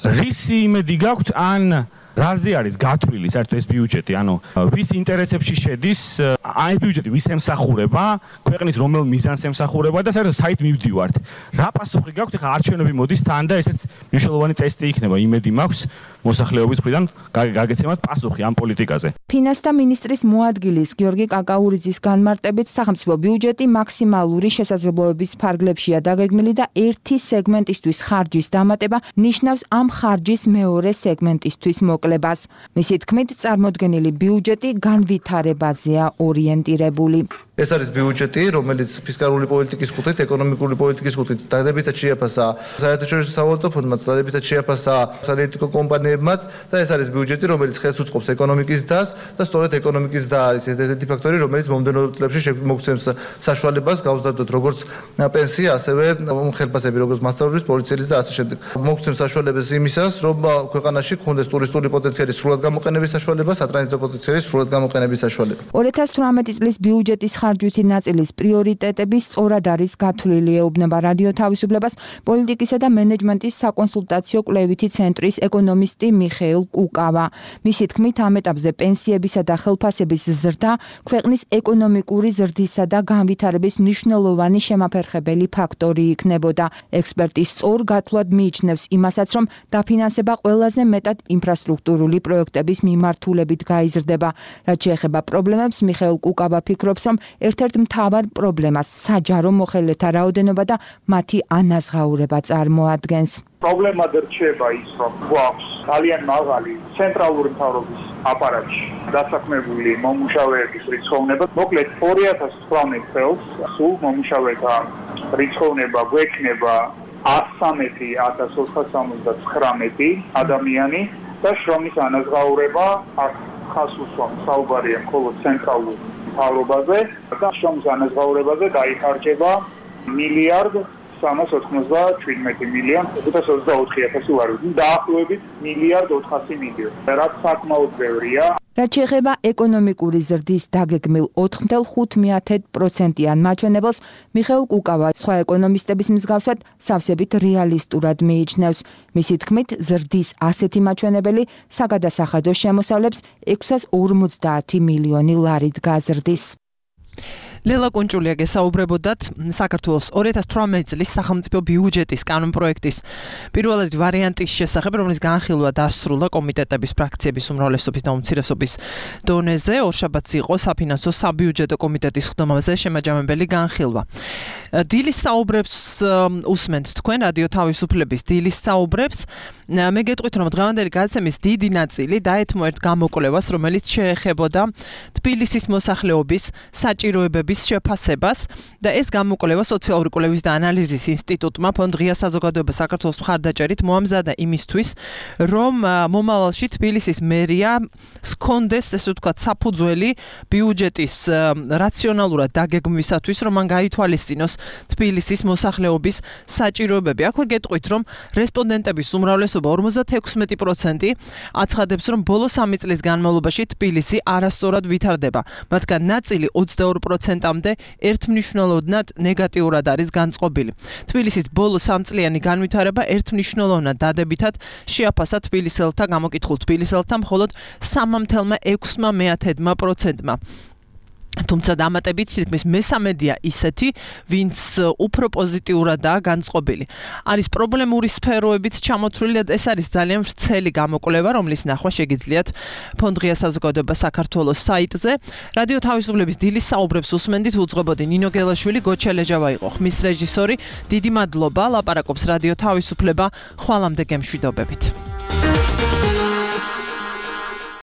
[SPEAKER 14] რისი იმედი გაქვთ ან რაზე არის გათვლილი საერთოდ ეს ბიუჯეტი, ანუ ვის ინტერესებში შედის აი ბიუჯეტი, ვის ემსახურება, ქვეყნის რომელ მიზანს ემსახურება და საერთოდ საით მივდივართ. რა პასუხი გაქვთ? ეხლა არჩევნები მოდის თან და ესეც მნიშვნელოვანი ტესტი იქნება. იმედი მაქვს მოსახლეობის მხრიდან გაგეცემათ პასუხი ამ პოლიტიკაზე.
[SPEAKER 12] ფინანსთა მინისტრის მოადგილის გიორგი კაკაურიძის განმარტებით, სახელმწიფო ბიუჯეტი მაქსიმალური შესაძლებლობების ფარგლებშია დაგეგმილი და ერთი სეგმენტისთვის ხარჯის დამატება ნიშნავს ამ ხარჯის მეორე სეგმენტისთვის მოკლებას. მისი თქმით, წარმოდგენილი ბიუჯეტი განვითარებაზეა ორიენტირებული.
[SPEAKER 13] ეს არის ბიუჯეტი, რომელიც ფისკალური პოლიტიკის კუთხით, ეკონომიკური პოლიტიკის კუთხით დადებითად შეაფასა საერთაშორისო სავალუტო ფონდმაც, დადებითად შეაფასა სარიეტიკო კომპანიებმაც და ეს არის ბიუჯეტი, რომელიც ხელს უწყობს ეკონომიკის დას და სწორედ ეკონომიკის და არის ერთ-ერთი ფაქტორი, რომელიც მომდევნო წლებში მოგცემს საშუალებას გავზრდოთ როგორც პენსია, ასევე ხელფასები, როგორც მასწავლებლის, პოლიციელის და ასე შემდეგ. მოგცემს საშუალებას იმისას, რომ ქვეყანაში გქონდეს ტურისტული პოტენციალის სრულად გამოყენების საშუალება, სატრანზიტო პოტენციალის სრულად გამოყენების საშუალება.
[SPEAKER 12] ორი ათას თვრამეტი წლის ბიუჯეტის ხარჯვითი ნაწილის პრიორიტეტები სწორად არის გათვლილი, ეუბნება რადიო თავისუფლებას პოლიტიკისა და მენეჯმენტის საკონსულტაციო კვლევითი ცენტრის ეკონომისტი მიხეილ კუკავა. მისი თქმით, ამ ეტაპზე პენსიებისა და ხელფასების ზრდა ქვეყნის ეკონომიკური ზრდისა და განვითარების მნიშვნელოვანი შემაფერხებელი ფაქტორი იქნებოდა. ექსპერტი სწორ გათვლად მიიჩნევს იმასაც, რომ დაფინანსება ყველაზე მეტად ინფრასტრუქტურული პროექტების მიმართულებით გაიზრდება. რაც შეეხება პრობლემებს, მიხეილ კუკავა ფიქრობს, რომ ერთ-ერთ მთავარ პრობლემას საჯარო მოხელეთა რაოდენობა და მათი ანაზღაურება წარმოადგენს.
[SPEAKER 15] პრობლემა რჩება ის, რომ გვაქვს ძალიან მაღალი ცენტრალური მთავრობის აპარატში დასაქმებული მომუშავეების რიცხოვნება. მოკლედ ორი ათას თვრამეტ წელს სულ მომუშავეთა რიცხოვნება გვექნება ათს ცხრამეტი ათას ოთხას სამოცდათხრამეტი ადამიანი და შრომის ანაზღაურება აქ ხას უსვამს საუბარია მხოლოდ ცენტრალურ მთავრობაზე და შრომის ანაზღაურებაზე გაიხარჯება მილიარდ სამას ოცდაშვიდმეტი მილიონი ხუთას ოცდაოთხი ათასი ლარი, დაახლოებით მილიარდ ოთხასი მილიონი, რაც საკმაოდ ბევრია.
[SPEAKER 12] რაც შეეხება ეკონომიკური ზრდის დაგეგმილ ოთხ კoma ხუთი პროცენტიან მაჩვენებელს, მიხეილ კუკავა სხვა ეკონომისტების მსგავსად სავსებით რეალისტურად მიიჩნევს. მისი თქმით, ზრდის ასეთი მაჩვენებელი საგადასახადო შემოსავლებს ექვსას ორმოცდაათი მილიონი ლარით გაზრდის.
[SPEAKER 2] ლელა კუნჭულია გესაუბრებოდათ საქართველოს ორი ათას თვრამეტი წლის სახელმწიფო ბიუჯეტის კანონპროექტის პირველადი ვარიანტის შესახებ, რომლის განხილვა დასრულდა კომიტეტების ფრაქციების უმრავლესობის და უმცირესობის დონეზე. ორშაბათს იყო საფინანსო საბიუჯეტო კომიტეტის ხდომაზე შემაჯამებელი განხილვა. დილის საუბრებს უსმენთ თქვენ რადიო თავისუფლების დილის საუბრებს. მე გეტყვით, რომ დღევანდელი გადაცემის დიდი ნაწილი დაეთმო ერთ გამოკვლევას, რომელიც შეეხებოდა თბილისის მოსახლეობის საჭიროებების შეფასებას და ეს გამოკვლევა სოციალური კვლევის და ანალიზის ინსტიტუტმა ფონდ ღია საზოგადოება საქართველოს მხარდაჭერით მოამზადა იმისთვის, რომ მომავალში თბილისის მერია სქონდეს, ესე ვთქვათ, საფუძველი ბიუჯეტის რაციონალურად დაგეგმვისათვის, რომ მან გაითვალისწინოს თბილისის მოსახლეობის საჭიროებები. აქვე გეტყვით, რომ რესპონდენტების უმრავლესობა ორმოცდაექვსმეტი პროცენტი აცხადებს, რომ ბოლო სამი წლის განმავლობაში თბილისი არასწორად ვითარდება. მათგან ნაწილი ოცდაორ პროცენტამდე ერთმნიშვნელოვნად ნეგატიურად არის განწყობილი. თბილისის ბოლო სამწლიანი განვითარება ერთმნიშვნელოვნად დადებითად შეაფასა თბილისელთა გამოკითხულ თბილისელთა მხოლოდ სამი ათეული ექვსი პროცენტმა. თუმცა დამატებით თითქმის მესამედია ისეთი, ვინც უფრო პოზიტიურადაა განწყობილი. არის პრობლემური სფეროებიც ჩამოთვლილი და ეს არის ძალიან ვრცელი გამოკვლევა, რომლის ნახვა შეგიძლიათ ფონდ ღია საზოგადოება საქართველოს საიტზე. რადიო თავისუფლების დილის საუბრებს უსმენდით, უძღვებოდი ნინო გელაშვილი, გოჩელეჯავა იყო ხმის რეჟისორი. დიდი მადლობა, ლაპარაკობს რადიო თავისუფლება. ხვალამდე გემშვიდობებით.